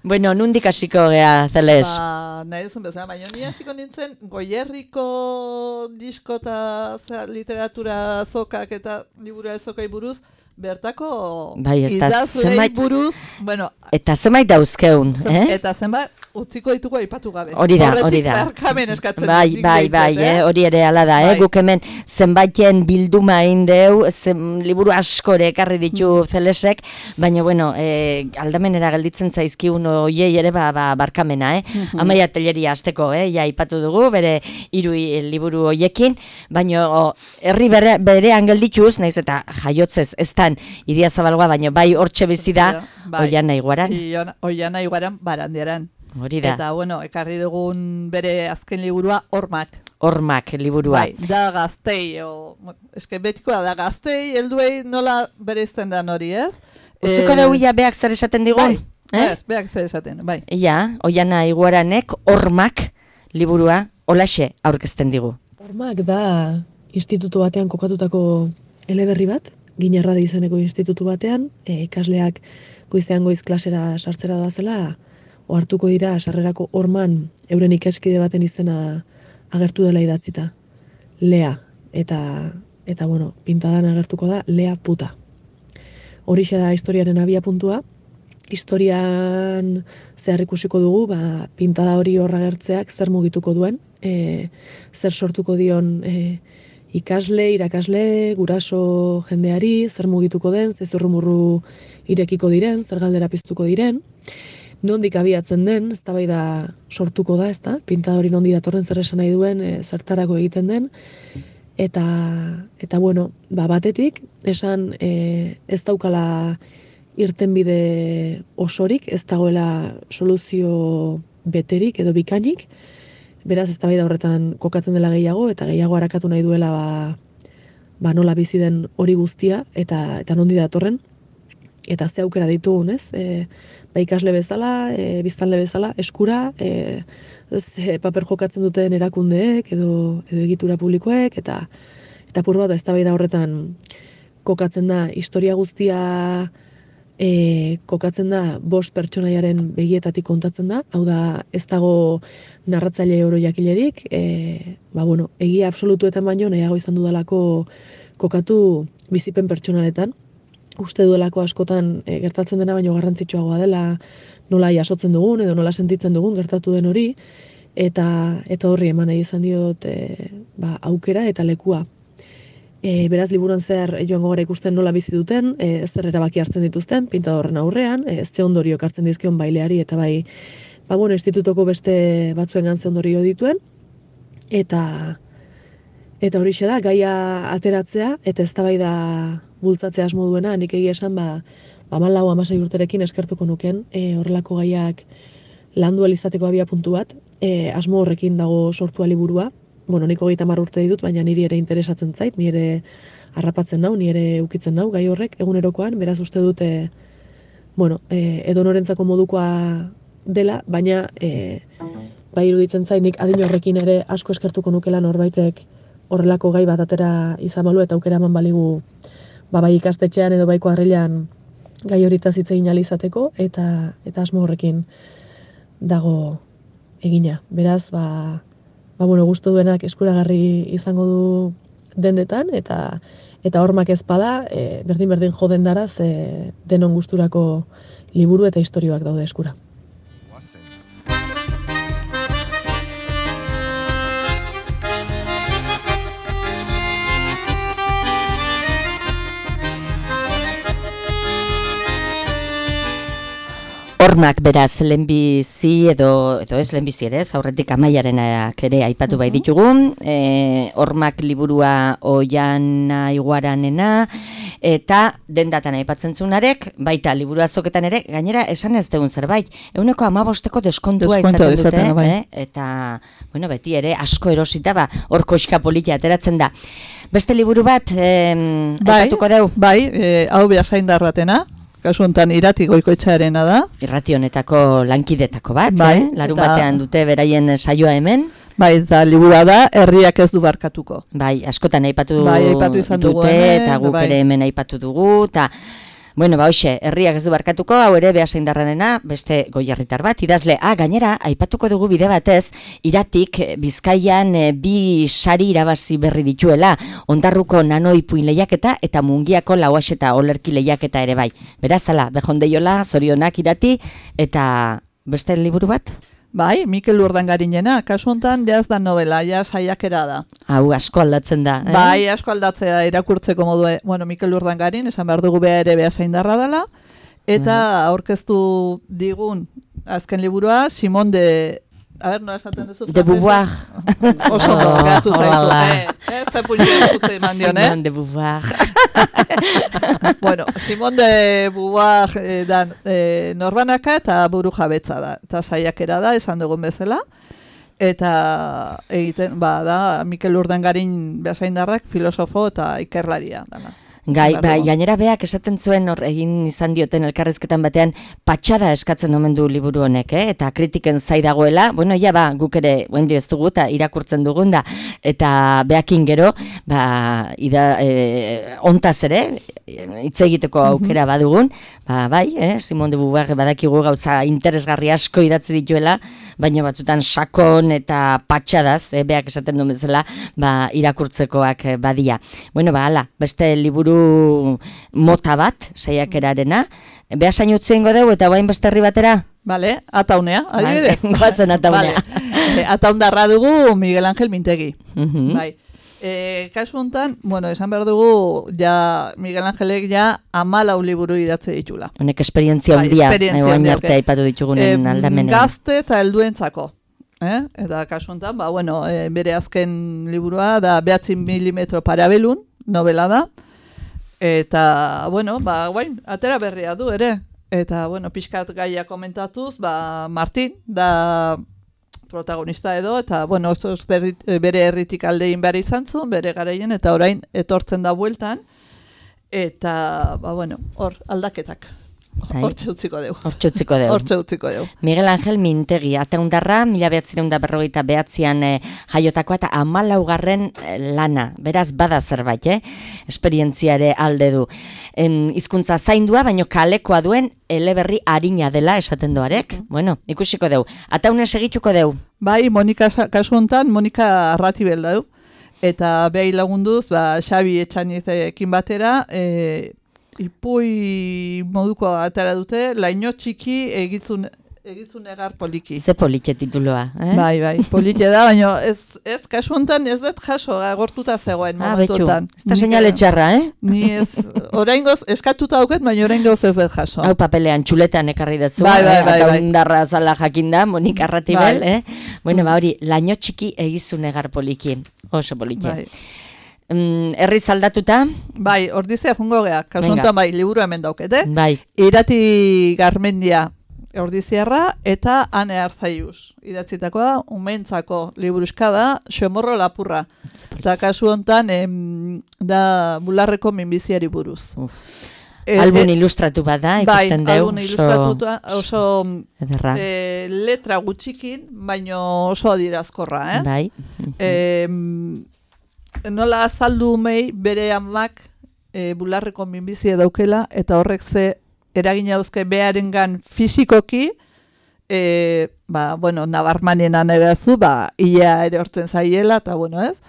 Bueno, nundik hasiko gea, Zeles? Ba, nahi duzun bezala, baina ni hasiko nintzen Goierriko disko eta literatura azokak eta liburu azokai buruz, bertako bai, idazlei buruz, bueno, eta zenbait dauzkeun, zen, eh? Eta zenbait utziko ditugu aipatu gabe. Hori da, hori da. Barkamen eskatzen bai, dut, bai, bai, eh? Hori ere hala da, bai. eh? Guk hemen zenbaiten bilduma egin deu, zen, liburu askore ekarri ditu mm. Zelesek, baina, bueno, eh, aldamenera gelditzen zaizkigun oiei ere ba, ba, barkamena, eh? Mm-hmm. Amaia Telleria hasteko, eh? Ja, aipatu dugu, bere hiru liburu hoiekin, baina herri bere, berean geldituz, naiz eta jaiotzez, ez Idia Zabalgoa, baina bai hortxe bizi da, bai. Oiana Iguaran. Oiana Iguaran barandiaran. Hori da. Eta, bueno, ekarri dugun bere azken liburua, Hormak. Hormak liburua. Bai, da gaztei, o, eske betikoa da gaztei, helduei nola bere izten da hori, ez? Utziko e... dauia beak zer esaten digun? Bai, eh? beak zer esaten, bai. Ja, Oiana Iguaranek Hormak liburua holaxe aurkezten digu. Hormak da institutu batean kokatutako eleberri bat, Ginarradi izeneko institutu batean, e, ikasleak goizean goiz klasera sartzera doazela, ohartuko dira sarrerako horman euren ikaskide baten izena agertu dela idatzita. Lea, eta, eta bueno, pintadan agertuko da Lea puta. Horixe da historiaren abia puntua. Historian zehar ikusiko dugu, ba, pintada hori horra agertzeak zer mugituko duen, e, zer sortuko dion e, ikasle, irakasle, guraso jendeari, zer mugituko den, zer zurrumurru irekiko diren, zer galdera piztuko diren, nondik abiatzen den, eztabaida sortuko da, ezta? Pintada hori nondi datorren zer esan nahi duen, e, zertarako egiten den, eta, eta bueno, ba, batetik, esan e, ez daukala irtenbide osorik, ez dagoela soluzio beterik edo bikainik, beraz eztabaida horretan kokatzen dela gehiago, eta gehiago harakatu nahi duela ba, ba, nola bizi den hori guztia, eta eta nondi datorren, eta ze aukera ditugun, ez? E, ba, ikasle bezala, e, biztanle bezala, eskura, e, ze paper jokatzen duten erakundeek, edo, edo egitura publikoek, eta eta apur bat eztabaida horretan kokatzen da, historia guztia e, kokatzen da bost pertsonaiaren begietatik kontatzen da, hau da ez dago narratzaile orojakilerik, e, ba, bueno, egia absolutuetan baino nahiago izan dudalako kokatu bizipen pertsonaletan, uste duelako askotan e, gertatzen dena baino garrantzitsuagoa dela nola jasotzen dugun edo nola sentitzen dugun gertatu den hori, eta eta horri eman nahi izan diot e, ba, aukera eta lekua. E, beraz, liburuan zehar joango gara ikusten nola bizi duten, e, zer erabaki hartzen dituzten, pintadorren aurrean, e, ez ze ondorio hartzen dizkion baileari, eta bai, ba, bueno, institutoko beste batzuen gantze ondorio dituen, eta eta horixe da, gaia ateratzea, eta eztabaida bultzatzea asmo duena, nik egia esan, ba, ba hamalau hamasei urterekin eskertuko nuken, e, horrelako gaiak landu alizateko abia puntu bat, e, asmo horrekin dago sortua liburua. Bueno, nik hogeita hamar urte ditut, baina niri ere interesatzen zait, nire harrapatzen nau, nire ukitzen nau, gai horrek egunerokoan, beraz uste dute, bueno, e, edonorentzako modukoa dela, baina e, bai iruditzen zait, nik adin horrekin ere asko eskertuko nukela norbaitek horrelako gai bat atera izan balu eta aukera eman baligu ba, bai ikastetxean edo bai kuadrilan gai horitaz hitz egin ahal izateko, eta, eta asmo horrekin dago egina. Beraz, ba, ba bueno, gustu duenak eskuragarri izango du dendetan, eta eta hormak ez bada, e, berdin-berdin joden dara, ze denon gusturako liburu eta istorioak daude eskura. Hormak beraz lehenbizi edo, edo ez lehenbizi ere, aurretik Amaiarenak ere aipatu bai ditugun, e, Hormak liburua Oiana Iguaranena, eta dendatan aipatzen zunarek, baita liburu azoketan ere, gainera esan ez degun zerbait, euneko hamabosteko deskontua izaten dute, bai. eh? Eta, bueno, beti ere asko erosita, ba, hor koxka politia ateratzen da. Beste liburu bat, eh, bai, aipatuko deu? Bai, e, hau Beasaindar batena. Kasu honetan Irati Goikoetxearena da. Irrati honetako lankidetako bat, bai, eh? Larun batean dute beraien saioa hemen. Bai, eta liburua da, herriak ez du barkatuko. Bai, askotan aipatu, bai, aipatu izan dugu dute, hemen, eta guk bai. ere hemen aipatu dugu, eta bueno, ba, hoxe, herriak ez du barkatuko, hau ere Beasaindarrarena, beste Goierritar bat, idazle, ah, gainera, aipatuko dugu bide batez, Iratik Bizkaian e, bi sari irabazi berri dituela, Ondarruko nanoipuin lehiaketa eta Mungiako lauaxeta olerki lehiaketa ere bai. Beraz, ala, behondeiola, zorionak Irati, eta beste liburu bat? Bai, Mikel Urdangarinena, kasu honetan jaz da novela, ja saiakera da. Hau asko aldatzen da. Eh? Bai, asko aldatzea irakurtzeko modue. Bueno, Mikel Urdangarin, esan behar dugu beha ere Beasaindarra dela, eta aurkeztu digun azken liburua, Simon de... A ber, nola esaten duzu? De Beauvoir. Oso ondo, gatu zaizu. Eh, ze pulio dutze eman dion, eh? Simon de Beauvoir. Bueno, Simon de Beauvoir eh, da eh, norbanaka eta buru jabetza da. Eta saiakera da, esan dugun bezala. Eta egiten, ba, da, Mikel Urdangarin Beasaindarrak filosofo eta ikerlaria dana. Gai, bai, gainera beak esaten zuen hor egin izan dioten elkarrezketan batean patxada eskatzen omen du liburu honek, eh? Eta kritiken zai dagoela, bueno, ja ba, guk ere guendi ez dugu eta irakurtzen dugun da, eta beakin gero, ba, ida, e, ontaz ere, hitz egiteko aukera badugun, ba, bai, eh? Simon de Beauvoir badakigu gauza interesgarri asko idatzi dituela, baina batzutan sakon eta patxadaz, eh? Beak esaten duen bezala, ba, irakurtzekoak badia. Bueno, ba, ala, beste liburu mota bat, saiakerarena. Beasain utzi ingo dugu eta bain beste herri batera? Bale, Ataunea, adibidez. Goazen Ataunea. Vale. Ataundarra dugu Miguel Ángel Mintegi. Uh -huh. Bai. E, kasu honetan, bueno, esan behar dugu, ja, Miguel Angelek ja hamalau liburu idatze ditula. Honek esperientzia handia, egoan arte aipatu ditugunen e, aldamenean. Gazte eta helduentzako. Eh? Eta kasu honetan, ba, bueno, e, bere azken liburua da behatzi milimetro parabelun, novela da. Eta, bueno, ba, guain, atera berria du ere. Eta, bueno, pixkat gaia komentatuz, ba, Martin, da protagonista edo, eta, bueno, oso bere herritik aldein behar izan zuen, bere garaien, eta orain etortzen da bueltan, eta, ba, bueno, hor, aldaketak. Hortxe utziko deu. Hortxe utziko deu. Hortxe utziko deu. Miguel Angel Mintegi, ataundarra, mila behatzireun da berrogeita behatzian eh, jaiotakoa eta hamalaugarren eh, lana. Beraz, bada zerbait, eh? Esperientziare alde du. En, hizkuntza zaindua, baino kalekoa duen eleberri harina dela esaten doarek. Mm -hmm. Bueno, ikusiko deu. Ataune segituko deu. Bai, Monika, kasu hontan, Monika Arratibel dau. Eta behi lagunduz, ba, Xabi Etxanizekin batera, e, ipui moduko atara dute, laino txiki egizun, egizun egar poliki. Ze politxe tituloa, eh? Bai, bai, politxe da, baina ez, ez kasu hontan ez dut jaso, agortuta zegoen ah, momentuetan. Ez da seinale txarra, eh? Ni ez, oraingoz eskatuta dauket, baina oraingoz ez dut jaso. Hau papelean txuletan ekarri dezu, bai, bai, bai, eta bai. Ondarra zala jakinda, Monika Arratibel, bai. eh? Bueno, ba hori, laino txiki egizun egar poliki, oso politxe. Bai. Mm, herriz aldatuta? Bai, ordizea jungo geha, kasuntan bai, liburu hemen daukete. Bai. Irati Garmendia ordiziarra eta Ane Arzaiuz. Idatzitakoa da, umentzako liburuska da, Xomorro lapurra. Eta kasu hontan em, da bularreko minbiziari buruz. E, albun e, ilustratu bada, ikusten bai, deu. Albun ilustratuta, oso e, letra gutxikin, baino oso adierazkorra, ez? Bai. E, nola azaldu mei bere amak e, bularreko minbizia daukela, eta horrek ze eragina dauzke beharengan fisikoki, e, ba, bueno, nabarmanien anegazu, ba, ia ere hortzen zaiela, eta bueno, ez?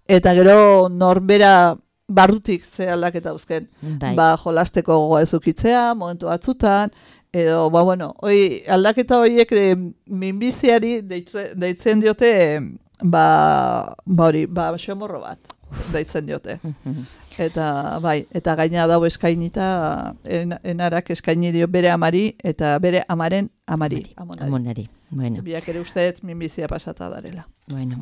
Eta gero norbera barrutik ze aldaketa dauzken, bai. Ba, jolasteko gogoa ezukitzea, momentu batzutan, edo, ba, bueno, oi, aldaketa horiek e, minbiziari deitzen, deitzen diote, ba, ba hori, ba, xomorro bat, deitzen diote. Eta bai, eta gaina dago eskainita, en, enarak eskaini dio bere amari, eta bere amaren amari. Amonari. Amonari. Bueno. Biak ere usteet minbizia pasata darela. Bueno.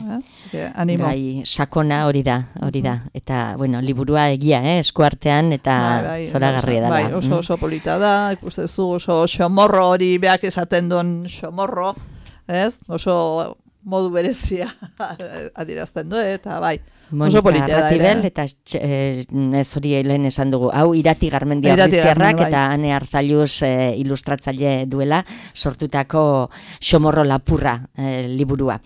Eh? Animo. Bai, sakona hori da, hori da. Eta, bueno, liburua egia, eh? Eskuartean, eta bai, bai, zoragarria da. Bai, oso oso polita da, ikustezu oso xomorro hori beak esaten duen xomorro, ez? Oso modu berezia adierazten du, eta bai, oso polita da. Arratibel, eta eh, ez hori lehen esan dugu, hau Irati Garmendia Ordiziarrak, bai. Eta Ane Arzaiuz eh, ilustratzaile duela sortutako Xomorro lapurra eh, liburua.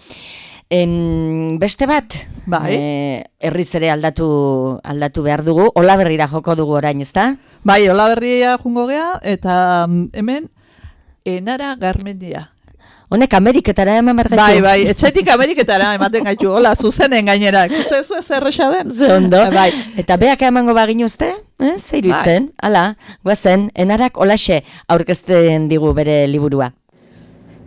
En, beste bat, bai. eh, herriz ere aldatu, aldatu behar dugu, Olaberrira joko dugu orain, ezta? Bai, Olaberria jungo gea, eta hemen Enara Garmendia. Honek Ameriketara eman behar gaitu. Bai, bai, etxetik Ameriketara ematen gaitu, hola, zuzenen gainera. Ikuste zu ez erresa den? Ze ondo. Bai. Eta beak emango bagin uste? Eh? Zeiru itzen? Bai. Hala, guazen, Enarak olaxe aurkezten digu bere liburua.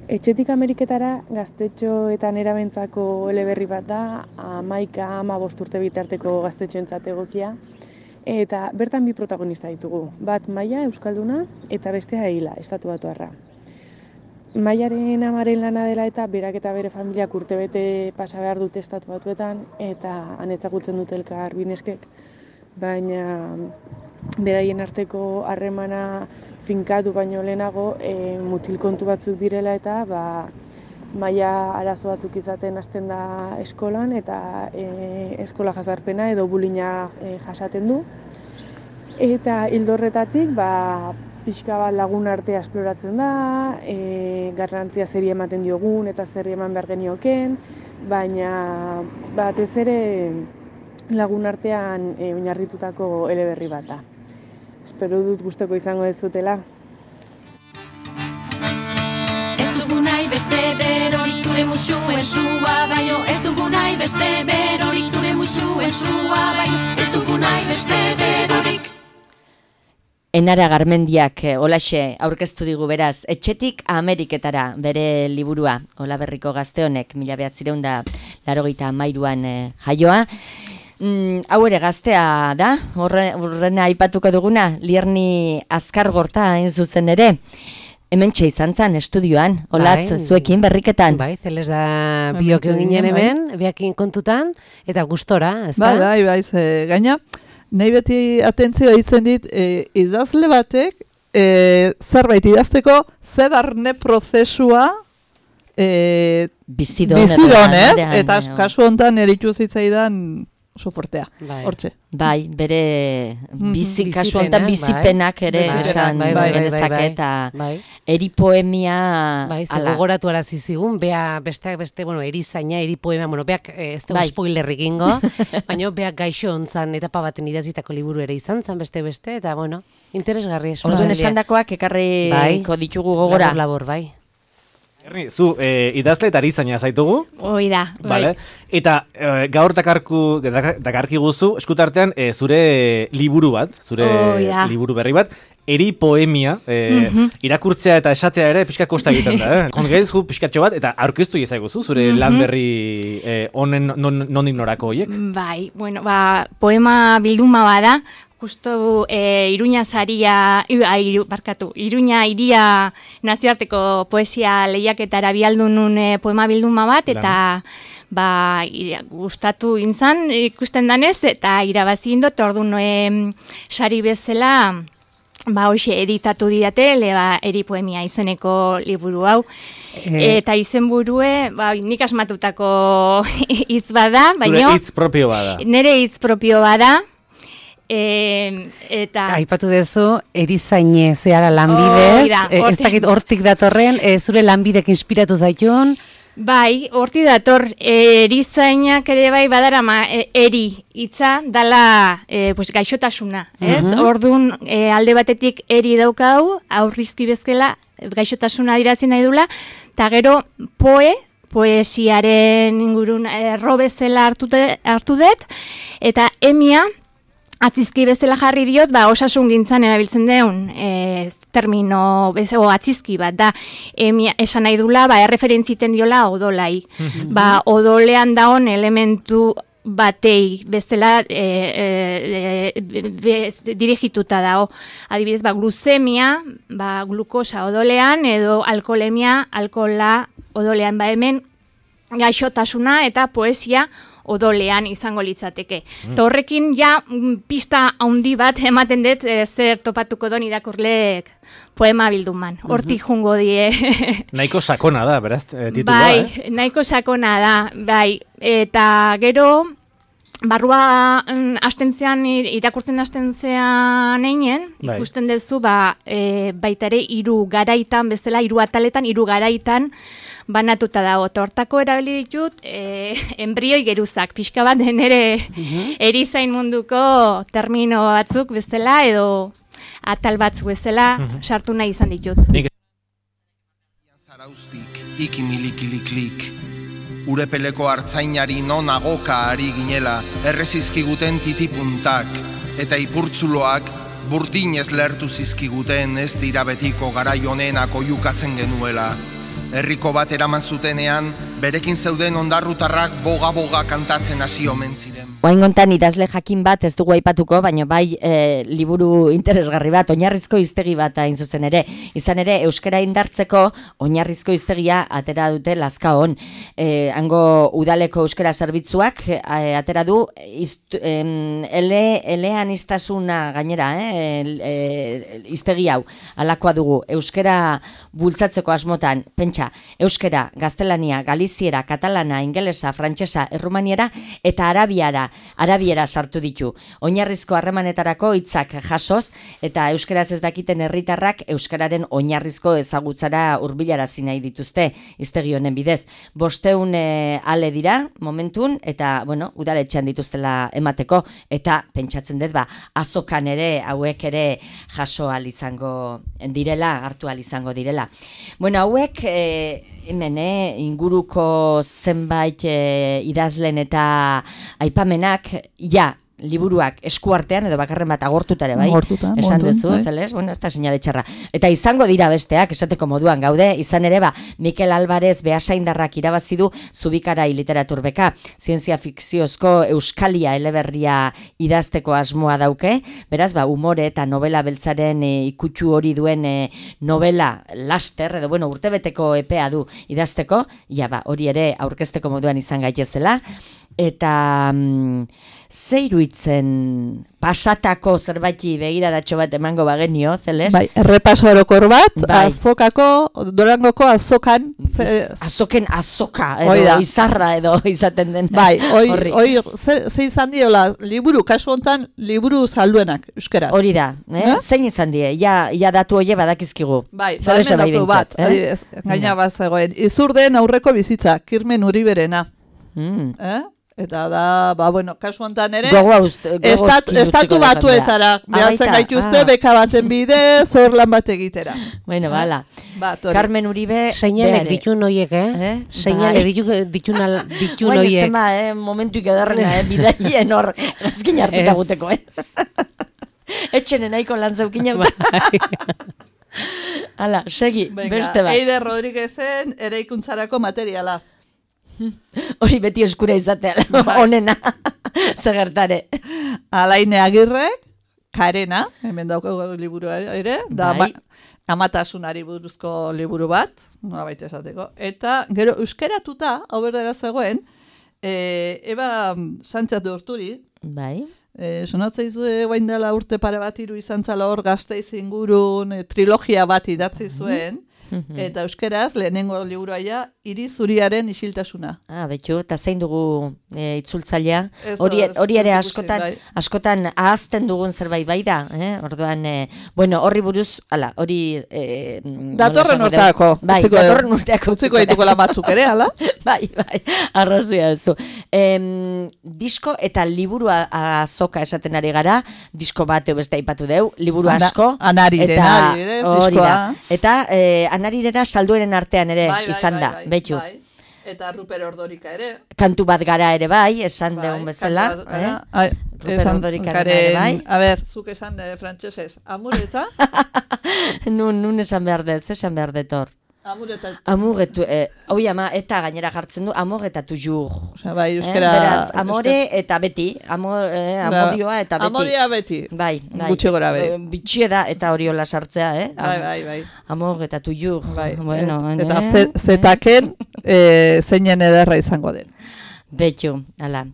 Etxetik Ameriketara gaztetxoetan erabentzako eleberri bat da, amaika, ama bosturte bitarteko gaztetxoentzat egokia. Eta bertan bi protagonista ditugu. Bat Maia, euskalduna, eta bestea Eila, estatubatuarra. Maiaren amaren lana dela eta berak eta bere familiak urtebete pasa behar dute estatu batuetan eta han ezagutzen dute elkar bineskek, baina beraien arteko harremana finkatu baino lehenago e, mutil kontu batzuk direla eta ba, Maia arazo batzuk izaten hasten da eskolan eta e, eskola jazarpena edo bulina e, jasaten du. Eta ildo horretatik, ba, pixka bat lagun artea esploratzen da, e, garrantzia zeri ematen diogun eta zerri eman behar genioken, baina batez ere lagun artean e, oinarritutako eleberri bat da. Espero dut gustoko izango dezutela. Ez dugu nahi beste berorik zure musuen sua, baino ez dugu nahi beste berorik zure musuen sua, baino ez dugu nahi beste berorik. Enara Garmendiak olaxe aurkeztu digu beraz, etxetik Ameriketara bere liburua, Olaberriko gazte honek, mila behatzireun da larogeita hamairuan eh, jaioa. Mm, hau ere gaztea da, horre, horrena aipatuko duguna, Lierni Azkargorta hain zuzen ere. Hementxe izan zen, estudioan, olatz, bai, zuekin berriketan. Bai, zeles da biok ginen hemen, biakin kontutan, eta gustora, ez da? Bai, bai, bai, ze gaina. Nahi beti atentzioa ditzen dit, e, idazle batek e, zerbait idazteko ze barne prozesua e, bizidon, bizidon ez? eta, Eta eta kasu honetan eritu zitzaidan oso fortea, hortze. Bai, bere bizi, Mhm. kasu honetan bizipenak ere Bai, esan bai, bai, bai, genezake bai, eta bai. eri poemia Bai, ze ala. gogoratu arazi zigun, bea besteak beste, bueno, erizaina, eri poema, bueno, beak eh, ez dugu Bai. spoiler egingo, baina beak gaixo ontzan etapa baten idatzitako liburu ere izan zan beste beste, eta bueno, interesgarri esan. Orduan esandakoak ekarriko ditugu gogora. Labor, labor, bai. Erni, zu eh, idazle eta erizaina zaitugu? Hoi da, Vale. Eta eh, gaur dakarku, dakar- dakarki guzu, eskutartean eh, zure liburu bat, zure Hoi da. liburu berri bat, eri poemia, eh, Mhm. irakurtzea eta esatea ere pixka kosta egiten da, eh? Kongaizu pixkatxo bat, eta aurkeztu iezaiguzu, zure Mhm. lan berri eh, honen non, nondik norako horiek? Bai, bueno, ba, poema bilduma bada, justo e, Iruña saria, iru, barkatu, Iruña iria nazioarteko poesia lehiaketara bialdu nun e, poema bilduma bat, eta ba, ira, gustatu intzan ikusten danez, eta irabazi indot, orduan e, sari bezala, ba, hoxe editatu didate, le, ba, eri poemia izeneko liburu hau. Eh. Eta izenburue, ba, nik asmatutako hitz bada, Zure baina hitz propio bada. nire hitz propio bada, e, eta... Aipatu duzu, erizaine zehara Hori lanbidez, da, eh, ez hortik. dakit hortik datorren, eh, zure lanbidek inspiratu zaitun, Bai, horti dator, e, erizainak ere bai badarama e, eri hitza dala e, pues, gaixotasuna, ez? Mhm. Orduan e, alde batetik eri daukau, aurrizki bezala gaixotasuna adierazten nahi dula, eta gero poe, poesiaren ingurun erro bezala hartu, de, hartu dut, eta emia, atzizki bezala jarri diot, ba, osasun gintzan erabiltzen deun e, termino, o atzizki bat da, emia, esan nahi dula, ba, erreferentziten diola odolai. Ba, odolean daon elementu batei bezala e, e, e, bez, dirigituta dago. Adibidez, ba, gluzemia, ba, glukosa odolean, edo alkoholemia, alkohola odolean, ba, hemen gaixotasuna eta poesia odolean izango litzateke. Mm. Ta horrekin ja mm, pista handi bat ematen dut e, zer topatuko don irakurleek poema bilduman. Hortik jungo die. Nahiko sakona da, beraz, eh, titulua, Bai, eh? nahiko sakona da, bai. Eta gero, barrua mm, astentzean, ir- irakurtzen astentzean einen, Bai. ikusten duzu, ba, e, baita ere hiru garaitan, bezala, hiru ataletan, hiru garaitan, banatuta dago. Eta hortako erabili ditut, e, embrioi geruzak, pixka bat den ere erizain munduko termino batzuk bezala, edo atal batzuk bezala, sartu nahi izan ditut. Zaraustik, ikimilikiliklik. Urepeleko hartzainari non agoka ari ginela, errezizkiguten titipuntak, eta ipurtzuloak burdinez lertu zizkiguten ez dira betiko garai honenak oihukatzen genuela. Herriko bat eraman zutenean, berekin zeuden ondarrutarrak boga-boga kantatzen hasi omen ziren. Oaingontan idazle jakin bat ez dugu aipatuko, baina bai e, liburu interesgarri bat, oinarrizko hiztegi bat hain zuzen ere. Izan ere, euskara indartzeko oinarrizko hiztegia atera dute Lazkaon. E, hango udaleko euskara zerbitzuak e, atera du iztu, em, ele, elean iztasuna gainera, eh, e, hiztegi hau, alakoa dugu. Euskara bultzatzeko asmotan, pentsa, euskara, gaztelania, galiziera, katalana, ingelesa, frantsesa, errumaniera eta arabiara arabiera sartu ditu. Oinarrizko harremanetarako hitzak jasoz eta euskaraz ez dakiten herritarrak euskararen oinarrizko ezagutzara hurbilarazi nahi dituzte hiztegi honen bidez. Bosteun e, ale dira momentun eta bueno, udaletxean dituztela emateko eta pentsatzen dut ba azokan ere hauek ere jaso ahal izango direla, hartu ahal izango direla. Bueno, hauek e, hemen eh, inguruko zenbait e, idazlen eta aipamenak, ja, liburuak eskuartean edo bakarren bat agortuta ere bai. Agortuta, Esan momentun, duzu, bai. zeles, bueno, ez da seinale txarra. Eta izango dira besteak, esateko moduan gaude, izan ere ba, Mikel Alvarez Beasaindarrak irabazi du Zubikarai literatur beka, zientzia fikziozko Euskalia eleberria idazteko asmoa dauke, beraz, ba, umore eta novela beltzaren e, ikutsu hori duen e, novela laster, edo bueno, urtebeteko epea du idazteko, ja ba, hori ere aurkezteko moduan izan gaitezela, eta mm, ze iruitzen pasatako zerbaiti begiradatxo bat emango bagenio, Zeles? Bai, errepaso orokor bat, bai. azokako, Durangoko azokan. Ze, Azoken azoka, edo Oida. izarra edo izaten den. Bai, hoi, hoi ze, ze izan diola, liburu, kasu hontan, liburu salduenak, euskeraz. Hori da, eh? Eh? Zein izan die, ja, ja datu hoie badakizkigu. Bai, Zelesa hemen daukagu bat, behintzat, adibidez, gaina bat zegoen. Izurden aurreko bizitza, Kirmen Uriberena. Mm. Eh? Eta da, ba, bueno, kasu honetan ere, Gogoa uste- gogo estat, utziko estatu da batuetara, jendea. Ah, behatzen baita, gaituzte, ah. beka baten bidez, hor lan bat egitera. Bueno, bala. Bat, hori. Carmen Uribe... Seinalek beare. ditun hoiek, eh? Eh? Seinale Bai. ditu, ditun, al- ditun Guain ez hoiek. tema, eh, momentuik edarrena, eh, bidaien hor, azkin hartuta Ez. guteko, eh? Etxene nahiko lan zeukin Bai. Hala, segi, Venga, beste bat. Eider Rodriguezen eraikuntzarako materiala. Hori beti eskura izatea, onena, zegertare. Alaine Agirrek, Karena, hemen daukagu liburua ere, da Bai. ba, amatasunari buruzko liburu bat, nola baita esateko. Eta, gero, euskeratuta, hau berdera zegoen, e, Eba Sánchez de Urturi, Bai. e, sonatzea guain dela urte pare bat hiru izan zala hor Gasteiz ingurun e, trilogia bat idatzi zuen, eta euskeraz lehenengo liburuaia Hiri zuriaren isiltasuna. Ah, betxu, eta zein dugu e, itzultzailea. Ez Hori, da, ez hori ere dut askotan, ikusi, bai. askotan ahazten dugun zerbait bai da. Eh? Orduan, eh, bueno, horri buruz, ala, hori... Eh, Datorren nola esango urteako. dugu? Bai, utziko- datorren urteako. Utziko dituko lan batzuk ere, ala? Bai, bai, arrazia zu. Em, disko eta liburu azoka esaten ari gara, disko bat edo beste aipatu deu, liburu Ana- asko. Anarirena, adibidez, hori diskoa. da. Eta eh, anarirena saldueren artean ere Bai, bai, izan da, bai, bai, betxu. bai. Eta Ruper Ordorika ere. Kantu bat gara ere bai, esan deun bezala. kantu bat gara. Eh? Ai, Ruper esan Ordorikaren karen- ere bai. A ber, zuk esan de frantsesez, amureta, nun, nun esan behar dut, esan behar dut hor. amureta, Amur etu, eh, hoi ama, eta gainera jartzen du, amor eta tujur. osea, bai, euskera... Eh? Beraz, amore eta beti, amor, eh, amodioa eta beti. Amodia beti. Bai, bai. Gutxi gora bere. Eh, Bitxie da, eta hori hola sartzea, eh? Bai, bai, bai. Amor eta tujur. Bai, Bueno, et- eta eh, ze- zetaken eh, zeinen ederra izango den. Betxu, ala.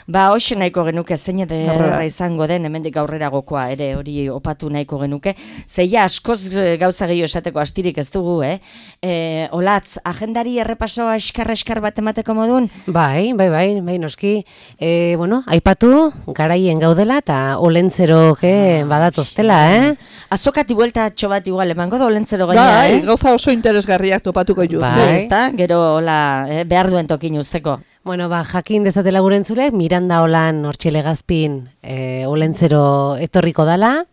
Ba, hoxe nahiko genuke zein ederra Horrela. izango den, hemendik aurrera gokoa ere hori opatu nahiko genuke. Zeia askoz eh, gauza gehiago esateko astirik ez dugu, eh? E, olatz, agendari errepaso eskar-eskar bat emateko modun? Bai, bai, bai, bai, noski. E, bueno, aipatu, garaien gaudela eta olentzero ge badatoztela, eh? Azokati buelta atxo bat igual emango da olentzero gaina, Bai, eh? gauza oso interesgarriak topatuko juz. Bai. Ezta? Gero, hola, eh, behar duen tokin usteko. Bueno, ba, jakin dezatela gure entzulek, Miranda Olan hortxele gazpin e, olentzero etorriko dala,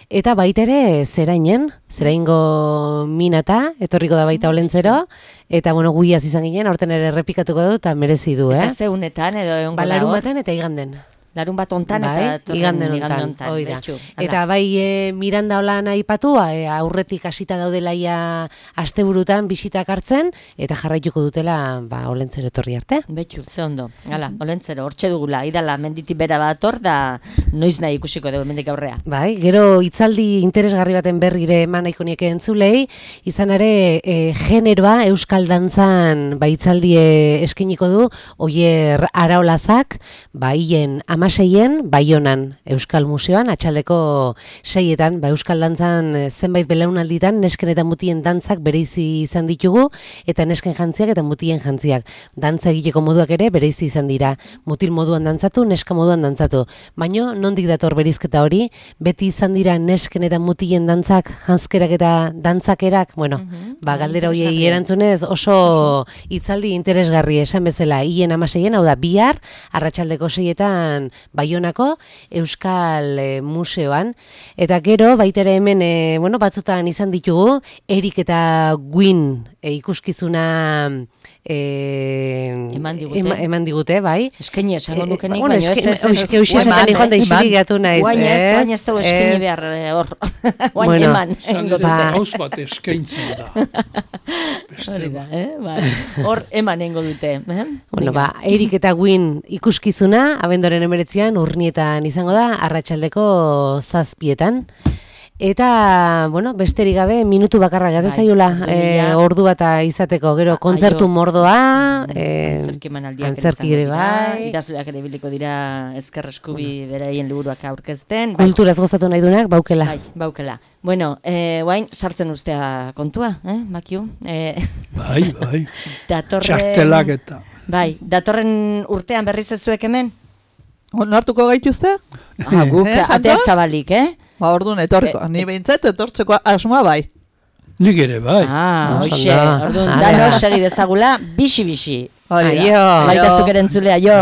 eta baita ere zerainen, zeraingo minata, etorriko da baita olentzero, eta bueno, guiaz izan ginen, aurten ere errepikatuko du, eta merezi du, eh? Eta ze unetan edo egongo Ba, da larun hor? baten eta iganden. Larun bat ontan Bai, eta etorren iganden igande hontan, hoi da. betxu, ala. Eta bai e, Miranda Olan aipatu, e, aurretik hasita daudela ia asteburutan bisitak hartzen, eta jarraituko dutela ba, olentzero etorri arte. Betxu, ze ondo. Hala, olentzero, hortxe dugula, idala menditi bera bat hor, da noiz nahi ikusiko dugu mendik aurrea. Bai, gero hitzaldi interesgarri baten berrire eman nahiko nieke entzulei, izan ere e, generoa euskal dantzan ba, hitzaldie eskiniko du, Oier Araolazak, ba, hien amaseien, Baionan Euskal Museoan, atxaldeko seietan, ba, euskal dantzan e, zenbait belaunalditan, nesken eta mutien dantzak bereizi izan ditugu, eta nesken jantziak eta mutien jantziak. Dantza egiteko moduak ere bereizi izan dira. Mutil moduan dantzatu, neska moduan dantzatu. Baino, nondik dator berizketa hori, beti izan dira nesken eta mutien dantzak, janzkerak eta dantzakerak, bueno, ba, galdera hoiei erantzunez oso hitzaldi interesgarri esan bezala, hien amaseien, hau da, bihar, arratsaldeko seietan Baionako Euskal e, Museoan, eta gero, baita ere hemen, e, bueno, batzutan izan ditugu, Erik eta Gwyn e, ikuskizuna e, Eman digute. ema- eman digute, bai. Eskaini esango E, nukenik, bueno, baina eske- ez, ez, ez, oizke hoxe esaten eman, joan da eh, isilik eman. gatu naiz, Guain ez, ez? guain ez dugu eskaini Ez. behar eh, hor. Guain Bueno, eman, egingo dute. ba- Haus bat eskaintzen da. Hori da, eh? Bai. Hor eman egingo dute. Eh? Bueno, ba, Erik eta Gwyn ikuskizuna, abendoren emeretzian, urnietan izango da, arratsaldeko zazpietan. Eta, bueno, besterik gabe, minutu bakarra gata zaiola, e, ordu bata izateko, gero, kontzertu mordoa, e, antzerki ere bai. Idazleak ere biliko dira ezker eskubi beraien liburuak aurkezten. Kulturaz gozatu nahi duenak, baukela. Bai, baukela. Bueno, eh, guain, sartzen ustea kontua, eh, Makiu? Eh, bai, bai. Datorren... Txartelak eta... Bai, datorren urtean berriz ez zuek hemen? Onartuko gaituzte? Ah, guk eh, ateak zabalik, eh? Ba, orduan etorriko, ni behintzat etortzeko asmoa bai. Nik ere bai. Ah, hoxe, orduan, danos sari dezagula, bixi-bixi. Aio. Baita zuk erentzulea, jo.